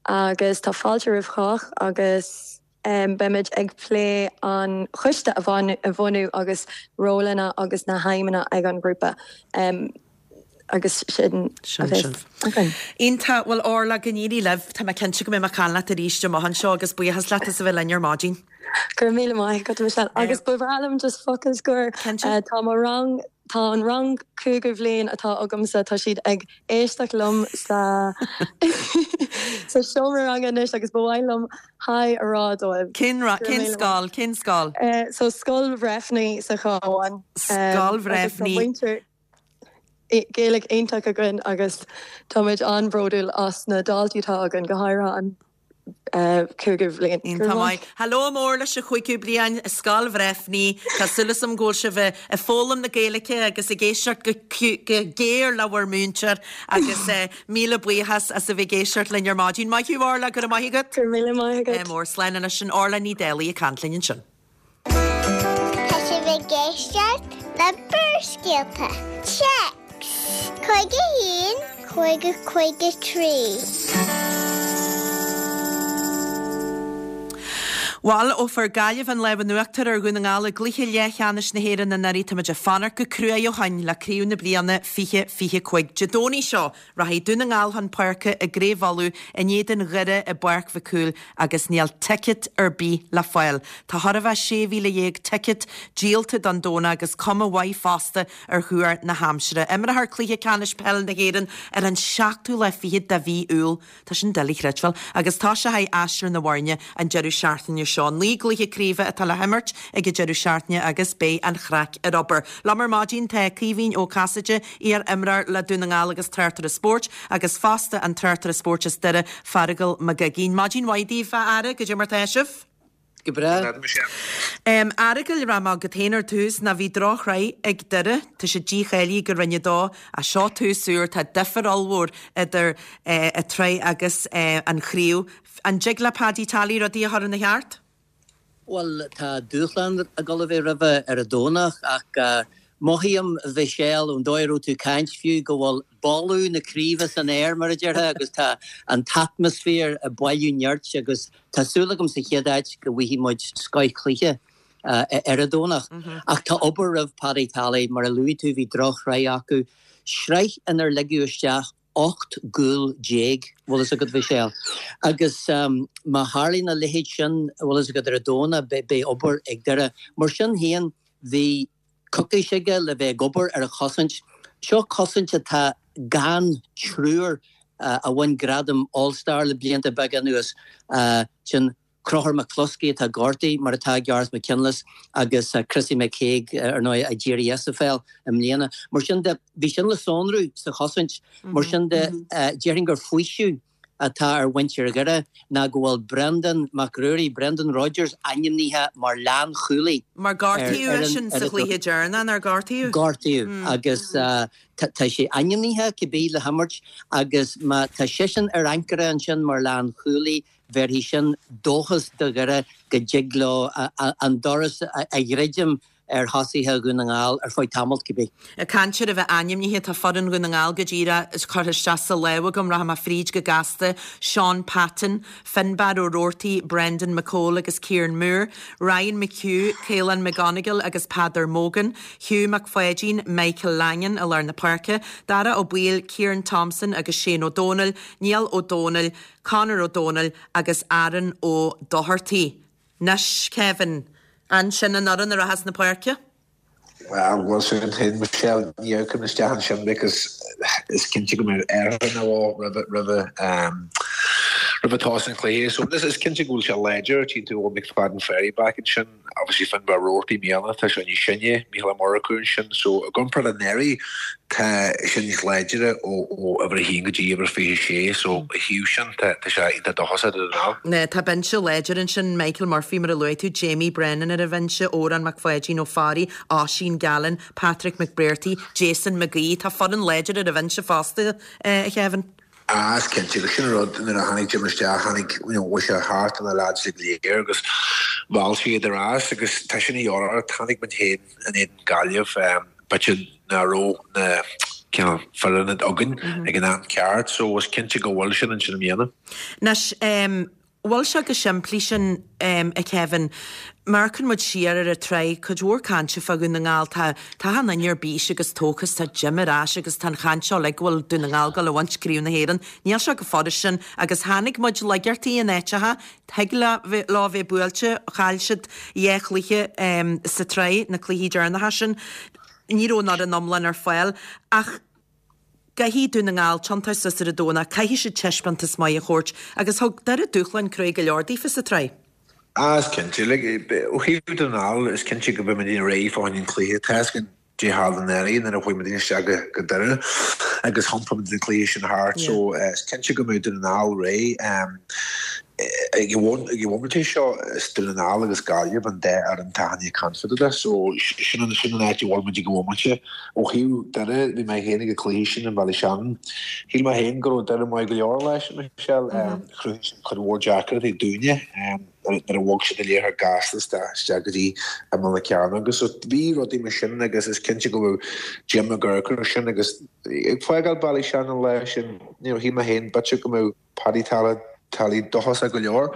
agus tá fáilte roimh chách agus Beimid ag plé an choiste a bhunú agus rólanna agus na haidhmeanna ag an ghrúpa agus sin a bheas againn. Iontach. Bhuel Orla, go n-éirí libh. Tá mé cinnte go mbeidh mé ag caint leat arís amach anseo agus buíochas leat as a bheith linn ar maidin. Go raibh míle maith agat, Michelle. Agus ba bhreá liom just focal scoir. Cinnte. Tá mo rang, tá an rang cúigiú bhliain atá agamsa, tá siad ag éisteacht liom sa sa seomra ranga anois agus ba mhaith liom hi a rá dóibh. Cén cén scoil? Cén scoil? So Scoil Bhreifne sa Chabhán. Scoil Bhreifne. Agus tá muintir Gaeilge iontach againn agus tá muid an-bhródúil as na daltaí atá againn, go háirithe an cúigiú bhliain. Iontach maith. Hello mór leis an chúigiú bliain i Scoil Bhreifne. Tá súil agam go bhfuil sibh ag foghlaim na Gaeilge agus ag éisteacht go géar le bhur múinteoir agus míle buíochas as a bheith ag éisteacht linn ar maidin. Maith thú Orla, go raibh maith agat. Go raibh míle maith agat. Mór slán anois sin Orla Ní Dálaigh ag caint linn ansin. Tá sibh ag éisteacht le Barrscéalta. Téacs 51 50 53. Bhuel, ó fuair Gaillimh an lámh in uachtar ar Dhún na nGall i gcluiche leathcheannais na hÉireann anuraidh, tá muid ag fanacht go cruaidh ó shoin le craobh na bliana 2025. Dé Domhnaigh seo, rachaidh Dún na nGall chun páirce i gCraobh Uladh in éadan Dhoire i bPáirc Mhic Cumhaill agus níl ticéad ar bith le fáil. Tá chóir a bheith 16,000 ticéad díolta don Domhnach agus cuma mhaith fosta ar thuar na haimsire. Imreofar Cluiche Ceannais Peile na hÉireann ar an seachtú lá fichead de mhí Iúil. Tá sin doiligh a chreidbheáil. Agus tosóidh aistear na bhfoirne an deireadh seachtaine seo. 9 gcluiche craoibhe atá le himirt ag an deireadh seachtaine agus beidh an chraic ar obair. Liom ar maidin tá Caoimhín Ó Casaide, iar-imreoir le Dún na nGall agus tráchtaire spóirt, agus fosta an tráchtaire spóirt as Doire, Feargal Mac Uiginn. Maidin mhaith daoibh, a fheara, goidé mar tá sibh? Go breá. A Fheargail, rachaidh mé chugat féin ar tús, ná bhí drochshraith ag Doire, tá siad dícháilithe go Roinn 2, ach seo tús úr, tá difear ollmhór idir an tsraith agus an chraobh. An dtig le Paddy Tally rudaí a chur ina cheart? Bhuel, tá dúshlán ag dul a bheith roimhe ar an Domhnach ach mothaím, a Mhichelle, ón dóigh a raibh tú ag caint fiú, go bhfuil boladh na craoibhe san aer, mar a déarfá, agus tá an t-atmaisféar ag bailiú nirt agus Tá súil agam sa chéad áit go bhfaighidh muid scoth-chluiche ar an Domhnach. Ach tá obair roimh Paddy Tally, mar a luaigh tú bhí drochshraith acu, sraith inar ligeadh isteach 18 gcúl, bhfuil fhios agat Mhichelle. Agus má tharlaíonn a leithéid sin, bhfuil fhios agat, ar an Domhnach beidh obair ag Doire. Mar sin féin bhí coicís aige le bheith ag obair ar a chosaint. Seo cosaint atá gan triúr a bhain gradam All Star le blianta beaga anuas, sin Conchúr McCluskey atá gortaithe, mar atá Gareth McKinless agus Chrissy McKaigue, ar ndóigh, a d'éirigh as an pheil i mbliana. Mar sin de, bhí sin le sonrú sa chosaint. Mar sin de, déarfainn gur faoiseamh atá ar mhuintir Dhoire ná go bhfuil Breandán Mac Ruairí, Brendan Rodgers, ainmnithe mar lánchúlaí Mar gortaíodh eisean sa chluiche deireanach, nár gortaíodh? Gortaíodh agus tá sé ainmnithe cibé le himirt agus má tá seisean ar ancaire ansin mar lánchúlaí, bhéarfaidh sin dóchas do Dhoire go dtig leo an doras a dhruidim ar thosaithe Dhún na nGall ar feadh tamaill, cibé. Ag caint ar a bheith ainmnithe, tá foireann Dhún na nGall go díreach curtha isteach sa lámh agam, rachaidh mé fríd go gasta, Shaun Patton, Finbarr Ó Roarty, Brendan McCole agus Kieran Moore, Ryan McHugh, Caolán McGonigle agus Peadar Mogan, Hugh McPháidín, Michael Langan i lár na páirce, Dara Ó Baoill, Kieran Thompson agus Shane Ó Dónaill, Niall Ó Dónaill, Conor Ó Dónaill agus Aaron Ó Dochartaigh. Anois, Kevin, an sin an fhoireann a rachas 'na páirce? Bhuel, bhfuil 's agat féin, Michelle, ní amharcaim isteach ansin because is cinnte go mbeidh athrú nó dhó roimhe, roimhe, roimhe tús an chluiche. So is cinnte go bhfuil sé láidir, tchíonn tú Eoin McFadden Ferry back ansin, obviously Finbarr Roarty i mbliana, tá sé níos sine, Mícheál Ó Murchú ansin. So i gcomparáid le anuraidh, tá sé níos láidre ó uimhir a haon go dtí uimhir 26 so ó thaobh sin tá sé iontach dóchasach do Dhún na nGall. Tá binse láidir ansin, Michael Murphy mar a luaigh tú, Jamie Brennan ar an bhinse, Odhrán Mac Pháidín Ó Fearraigh, Oisín Gallen, Patrick McBrearty, Jason McGee. Tá foireann láidir ar an bhinse fosta, a Kevin. Ah, is cinnte, agus sin an rud, nuair a tháinig Jim isteach, tháinig, you know, bhí sé thart ar na lads go léir agus mheall sé iad ar ais agus tá sin a dhíobháil ort, tháinig muid féin in éadan Gaillimh, b'fhéidir nach raibh na cineál foireann againn ag an am ceart so is cinnte go bhfuil sin ansin i mbliana. Anois, bhfuil sé chomh simplí sin, a Kevin, má amharcann muid siar ar an tsraith, cuid mhór cainte fá Dhún na nGall, tá, tá achan duine ar bís agus tógtha is tá Jim ar ais agus tá an chaint seo uilig go bhfuil Dún na nGall ag dul a bhaint Craobh na hÉireann. Níl sé chomh furast sin agus tháinig muid laigeartaí in áiteacha, thig leo bheith buailte, chaill siad dhá chluiche sa tsraith, na cluichí deireanacha sin, ní raibh an fhoireann iomlán ar fáil ach caithfidh Dún na nGall tiontú suas ar an Domhnach, caithfidh siad taispeántas maith a thabhairt agus thug Doire dúshlán cruaidh go leor daofa sa tsraith. Ah, is cinnte. Like, ó thaobh Dún na nGall, is cinnte go mbeidh muidne réidh fá choinne an chluiche. Tá 'fhios againn caidé tharla anuraidh nuair a chuaigh muidne isteach go Doire agus thiompaigh muid an cluiche sin thart. So, is cinnte go mbeidh Dún na nGall réidh. Ag an bhomaite seo, is Dún na nGall agus Gaillimh an dá fhoireann atá ag caint fá dtaobh de. So, sin an sin an áit a bhfuil muid ag an bhomaite. Ó thaobh Doire, bhí mé féin ag an cluiche sin i mBaile Shannon. Shíl mé féin go raibh Doire maith go leor leis, Michelle. Chruthaigh siad cuid mhór deacrachtaí dúinne nuair a bhog siad an liathróid gasta isteach go dtí imeall na cearnóige. So, bhí rudaí mar sin agus is cinnte go raibh Jim ag amharc air sin agus ag fágáil Ballyshannon an lá sin, you know, shíl mé féin b'fhéidir go mbeadh Paddy Tally. teaghlaigh dóchasach go leor.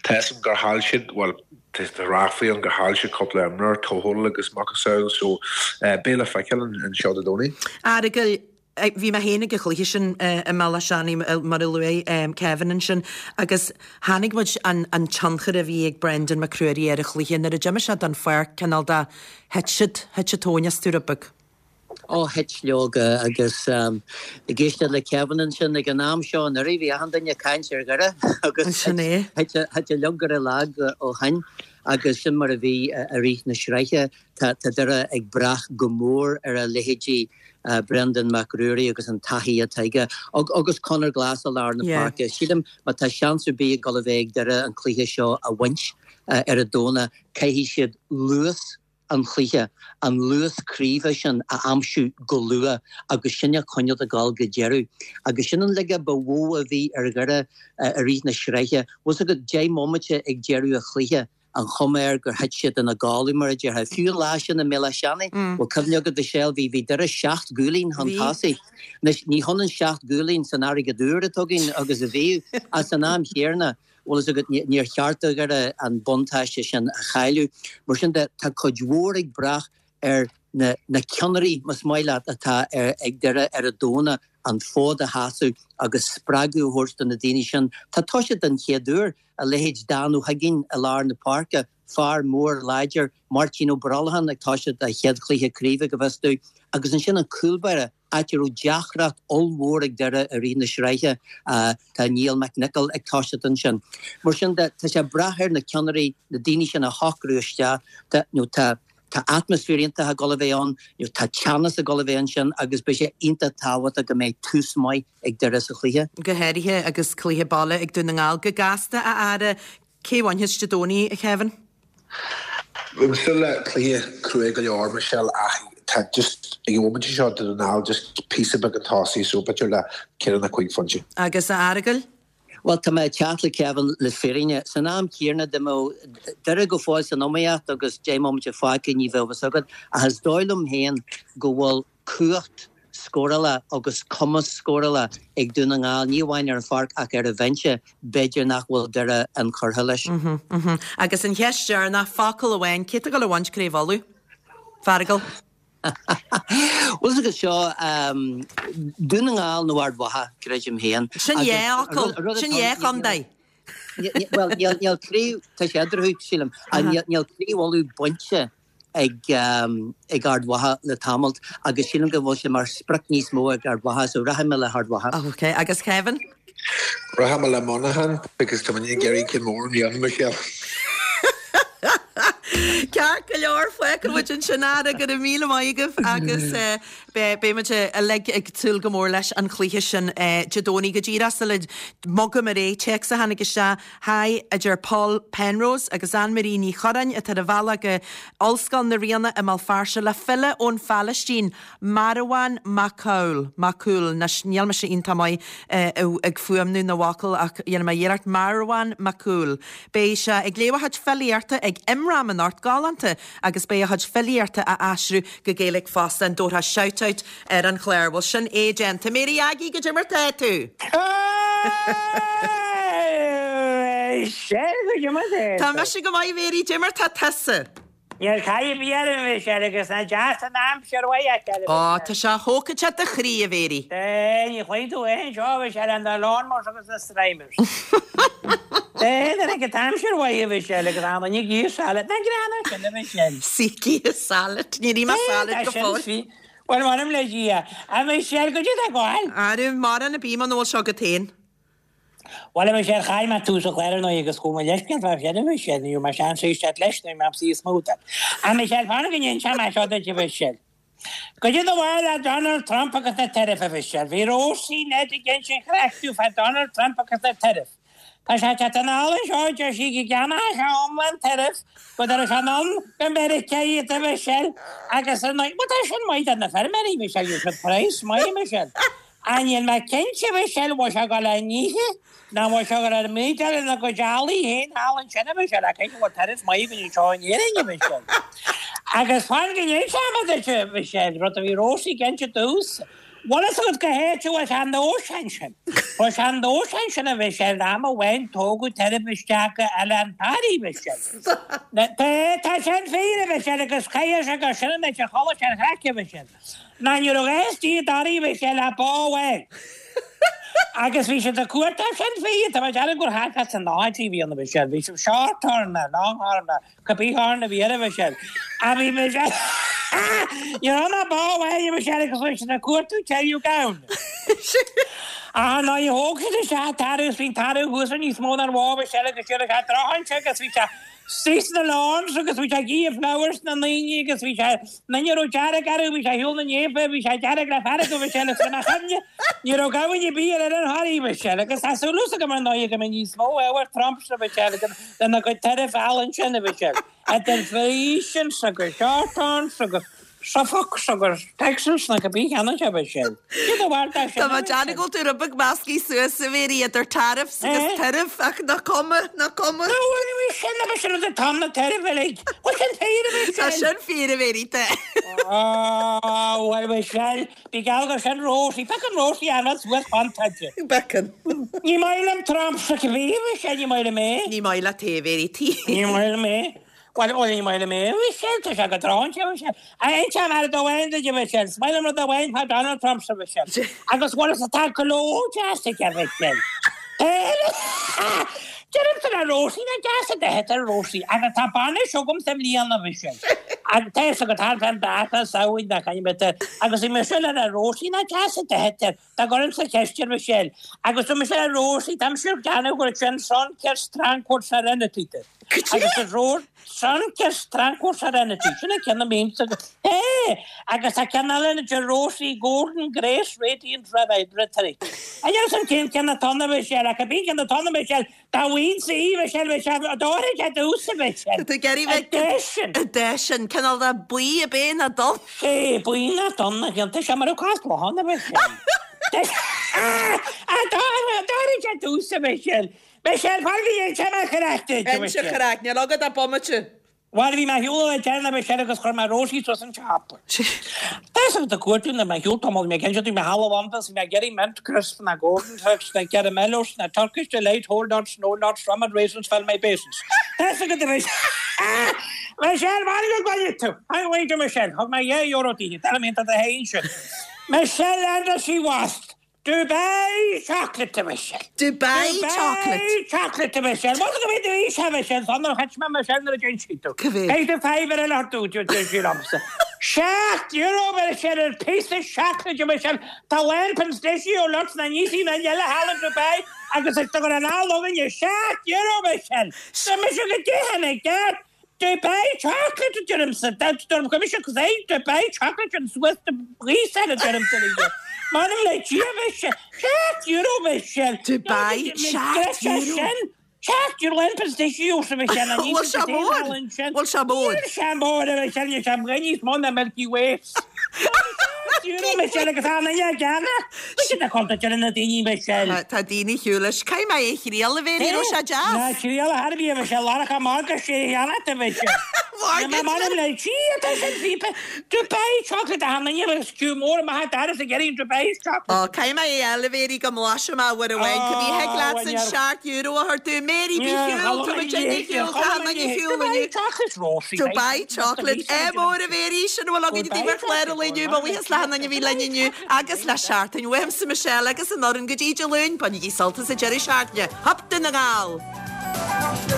Tá 'fhios a'm gur chaill siad, bhuel, tá ráflaí ann gur chaill siad cúpla imreoir, Tohill agus macasamhail, so beidh le feiceáil anseo Dé Domhnaigh. Fheargail, bhí mé féin ag an chluiche sin i mBealach Seanaidh, mar a luaigh Kevin ansin, agus chonaic muid an tionchar a bhí ag Brendan McCreary ar an chluiche. Nuair a d'imigh sé den pháirc, cineál de, thit siad, thit an tóin astu rud beag. Ó, thit leoga, agus ag éisteacht le Kevin ansin ag an am seo anuraidh, bhí achan duine ag caint ar Dhoire agus thit uilig ar a lag ó shin agus sin mar a bhí i rith na sraithe. Tá Doire ag brath go mór ar a leithéidí Brendan Mac Ruairí agus an taithí atá aige agus Conor Glass i lár na páirce. Sílim má tá seans ar bith ag dul a bheith ag Doire an cluiche seo a bhaint ar an Domhnach, caithfidh siad luas an chluiche, an luas craoibhe sin a aimsiú go luath agus sin a choinneáil ag dul go deireadh. Agus sin an laige ba mhó a bhí ar Dhoire i rith na sraithe. Bhfuil 's agat, 10 mbomaite ag deireadh an chluiche, an chuma air gur thit siad ina gcodladh, mar a déarfá. Fiú an lá sin i mBéal Átha Seanaidh, bhfuil cuimhne agat, Mhichelle, bhí, bhí Doire seacht gcúilín chun tosaigh. Anois, ní hionann seacht gcúilín san airgead úr atá againn agus a bhíodh, ach san am chéanna, Bhfuil fhios agat, níor cheart do Dhoire an buntáiste sin a chailleadh. Mar sin de, tá cuid mhór ag brath ar na na ceannairí, más maith leat, atá ag Doire ar an Domhnach an fód a sheasamh agus spreagadh a thabhairt do na daoine sin. Tá toiseacht den chéad uair, a leithéid Dan Ó hUiginn i lár na páirce, fear mór láidir, Máirtín Ó Brolcháin ag toiseacht a chéad chluiche craoibhe, go bhfios domh, agus ansin an cúlbáire, áit a raibh deacracht ollmhór ag Doire i rith na sraithe. Tá Niall McNicholl ag toiseacht ansin. Mar sin de, tá sé ag brath ar na ceannairí, na daoine sin a shocrú isteach. Tá, nó tá, tá atmaisféar iontach ag dul a bheith ann, nó tá teannas ag dul a bheith ansin agus beidh sé iontach tábhachtach go mbeidh tús maith ag Doire sa chluiche. Go háirithe agus cluiche baile ag Dún na nGall. Go gasta, a fheara, Cé bhainfeas Dé Domhnaigh, a Kevin? Bím súil le cluiche crua go leor, Michelle, ach tá just ag an bhomaite seo Dún na nGall just píosa beag chun tosaigh so b'fhéidir le ceithre nó cúig phointe. Agus a Fheargail? Bhuel, tá mé ag teacht le Kevin le fírinne. San am céanna, dá mbeadh Doire go fóill san iomaíocht agus 10 mbomaite fágtha ní bheadh fhios agat, ach is dóigh liom féin go bhfuil cumhacht scórála agus cumas scórála ag Dún na nGall, ní amháin ar an pháirc ach ar an bhinse, b'fhéidir nach bhfuil Doire inchurtha leis. Agus an cheist dheireanach, focal amháin, cé atá ag dul a bhaint Craobh Uladh? Feargal. Bhfuil fhios agat seo, Dún na nGall nó Ard Mhacha, creidim féin. Sin dhá fhocal, sin dhá chontae. Bhuel, níl craobh, tá sé eadarthu, sílim, níl Craobh Uladh bainte ag Ard Mhacha le tamalt agus sílim go bhfuil sé mar sprioc níos mó ag Ard Mhacha so rachaidh mé le hArd Mhacha. Ok, agus Kevin? Rachaidh mé le Monaghan because tá muid ag iarraidh ceann mór i mbliana, Michelle. Ceart go leor, fágfaidh muid ansin é, go raibh míle maith agaibh agus beidh muid uilig ag súil go mór leis an chluiche sin Dé Domhnaigh go díreach sula mbogaim ar aghaidh, téacs a tháinig isteach Haigh, a deir Paul Penrose agus Anne Marie Ní Churráin atá ar a bhealach go Ollscoil na Ríona i mBéal Feirste le file ón Phalaistín, Marwan Makhoul, Macoul, anois níl mise iontach maith ag fuaimniú na bhfocal ach dhéanfaidh mé iarracht, Marwan Makhoul. Beidh sé ag léamh a chuid filíochta ag Imram anocht, galánta, agus beidh a chuid filíochta á aistriú go Gaeilge fosta. An dtabharfá shout out ar an chlár. Bhuel, sin é déanta. Mary Aggie, goidé mar tá tú? Sea, goidé mar tá tú? Tá mise go maith, Mary, goidé mar tá tusa? Níl caoi ar bith orm, a Mhichelle, agus nach deas an aimsir mhaith a fheiceáil, a Ó, tá sé thógfadh sé do chroí, a Mhary. Sea, ní chloíonn tú é anseo, a Mhichelle, an na lawnmowers agus na strimers. Sea, nuair a an t-aimsir mhaith, a Mhichelle, agus an duine ag ithe salad, nach greannmhar sin, a Mhichelle? Sí, ag ithe salad. Níor ith mé salad go fóill. Bhuel, m'anam le Dia, a Mhichelle, goidé tá ag gabháil? Arú, mórán ar bith muna bhfuil seo agat féin. Bhuel, a Mhichelle, chaill mé tús an chláir ar ndóigh agus chuaigh mé leithscéal fá deireadh, a Mhichelle, ní raibh mé seans éisteacht leis, nó bhí mé ag smútail. A Mhichelle, fan go n-inseoidh mé seo duit, a Mhichelle. Goidé do bharúil le Donald Trump agus na tariffs, a Mhichelle. Bhí Róisín Ned ag insint chraic domh fá Donald Trump agus na tariffs. Tá sé ag teacht anall anseo, deir sí, go gceannódh sé iomlán tariff, go dtabharfadh sé anonn go Meiriceá iad, a Mhichelle, agus ar ndóigh, bhuel tá sin maith do na feirmeoirí, a Mhichelle, gheobhaidh siad praghas maith, a Mhichelle. Ach níl mé cinnte, a Mhichelle, bhfuil sé ag dul á n-ithe, nó an bhfuil sé ag dul ar mbriodáil ina gcuid eallaigh féin thall ansin, a Mhichelle, ach caithfidh go bhfuil tariff maith againn anseo in Éirinn, a Mhichelle. Agus fan go n-inseoidh mé duit, a Mhichelle, rud a bhí Rosie ag inse domhsa. Bhfuil fhios agat cá háit a bhfuil sé an nós ansin? Bhuel sé an nós ansin a Mhichelle, am amháin tógadh tariff isteach go Oileán Thoraí a Mhichelle. Tá, tá sin fíor a Mhichelle agus chaith sé gur sin an áit a chuala sé an chraic a Mhichelle. Ná ní raibh a fhios di i dToraí a Mhichelle ach bó amháin. Agus bhí siad ag cuartú sin fíor, tá mé ag déanamh gur thart fá sna nóchaidí a bhí ann a Mhichelle, bhí siad short horn ná long horn ná Cibé horn a bhí air a Mhichelle. A bhí Michelle. Ní raibh ach bó amháin a Mhichelle agus bhí siad ag cuartú teiriú gamhain. Ach nuair a thóg siad isteach an tarbh is bhí an tarbh thuas ar níos mó ná an bhó a Mhichelle agus d'éirigh sé drochainse agus bhí sé istigh sna lawns agus bhí sé ag ithe flowers na ndaoine agus bhí sé na ní raibh dearg orthu bhí sé ar shiúl na néimhe bhí sé dearg le fearg a Mhichelle agus le chuimhne ní raibh gamhain ar bith ar Oileán Thoraí a Mhichelle agus tá súil agam ar ndóigh go mbeidh níos mó ábhar Trump a Mhichelle agus Lena gcuid tariff álainn sin a Mhichelle, idir Friesians agus Shorthorns agus Suffolks agus Texans nó cibé cheana a Mhichelle. Cé do bharr dá sin Tá a mé ag déanamh Mhichelle? go bhfuil tú rud beag meascaí suas a Mhéirí idir tariffs agus tariff ach nach cuma, nach cuma. Nó bhuel a Mhichelle, a Mhichelle, rud atá na tariff uilig. Bhfuil sin fíor a Tá Mhichelle? sin fíor a Mhéirí, tá. Á, bhuel a Mhichelle, Bí geall gur sin Rosie. Becan Rosie anall suas fan tailte. Becan. Ní maith liom Trump sa cibé a Mhichelle, ní maith liom é. Ní maith leat é, a Mhéirí T. Ní maith liom é. Bhuel, bhuel, ní maith liom é, a Mhichelle, tá sé go dráinte, a Mhichelle. Inseoidh mé rud amháin duit, a Mhichelle, is maith liom rud amháin fá Donald Trump, a Mhichelle. Agus bhuel, is tá glór deas aige, a Mhichelle. Deirimse le Rosie nach deas a bheith ar Rosie agus tá bainis agamsa i mbliana a Mhichelle. Agus tá fhios agat thart fán dáta Samhain nach ainm agus bhí mise le Rosie nach deas a bheith dá gcuirimse ceist ar Michelle agus dúirt mise le Rosie tá mise ag déanamh gur sin Sunkist Tranquil Serenity agus is Rose Sunkist Tranquil Serenity sin an ceann a mbímse é agus tá ceann eile ann de Rosie Golden Grace Radiant Rhetoric. An é san cén ceann atá ann a Mhichelle ach cibé ceann atá ann a Mhichelle dá bhfaighinn í Michelle Michelle d'óirfidh sé domhsa Michelle. Tá tú ag iarraidh bheith sin. De sin cineál de buí ab é ná donn. Sé buí ná donn a ghionta sé mar a cás bláthanna Michelle. D'óirfidh sé domhsa Michelle. Michelle, fág go dtéann sé amach ar ais duit, a Inse Mhichelle. chraic, níl agat ach bomaite. Bhuel, bhí mé ar shiúl le deireadh, a Mhichelle, agus chuir mé Rosie suas an siopa. Tá fhios agat ag cuartú nuair mé ar shiúl tamall, bhí mé ag inse duit, bhí mé thall i Londain, bhí mé ag iarraidh mint crisp ná golden turks ná caramellos ná Turkish delight whole nuts, no nuts, rum and raisins fill my basins. Tá fhios agat a Mhichelle. Michelle, bhain go gcoinne tú! Thank you, Michelle. Thug mé €2 di, tell me that I hate you. Michelle and she was. Dubai chocolate a Mhichelle. Dubai chocolate. Dubai chocolate a Mhichelle. Bhuel go mbeidh do aois a Mhichelle san nuair a chait mé Michelle nuair a d'inis tú. Cá mhéad? Beidh do fiver eile ort dúirt dúirt sí liomsa. €7 a Mhichelle ar píosa seacláide a Mhichelle. Tá lán pistachio nuts na níos na eile thall in Dubai agus is do gur an eala againne €7 a Mhichelle. Tá mise go dtéann i gceart. Dubai chocolate a deirimse, deirim go mise agus é Dubai chocolate an suas do ghaoth a deirimse le M'anam le Dia bheith sé €7 bheith sé Dubai €7. €7 an pistachio sa bheith sé na Bhfuil sé mór? Bhfuil sé mór? Níl sé mór a bheith sé níl sé níos mó ná Milky Way. €7 Michelle agus an ine geana. Bhí na conta de na daoine Michelle. Tá daoine shiúl leis. Caithfidh mé é a thriail a Mhéirí, raibh sé deas. Ná triail a thairbhí a Mhichelle, laracha margadh sé cheana a Mhichelle. Margadh. M'anam le Dia tá sin phíopa. Dubai chocolate a tháinig agus sciú mór amach a d'fhearas ag iarraidh Dubai chocolate. Ó, caithfidh mé é a fháil a Mhéirí go mblaisfidh mé uair amháin. Cibé thig leat an €7 a thabhairt dúinn. Mary, bí shiúl, tá muid ag shiúl, tá an ag shiúl inniu. Dubai chocolate Rosie. Dubai chocolate. Ádh mór a Mhéirí, sin a bhfuil againn daoibh ar chlár an lae inniu. Mo bhuíochas le hachan duine a bhí linn inniu agus le seachtain. Uaimse Michelle agus an fhoireann go dtí Dé Luain, bainigí sult as an deireadh seachtaine. Hup Dún na nGall!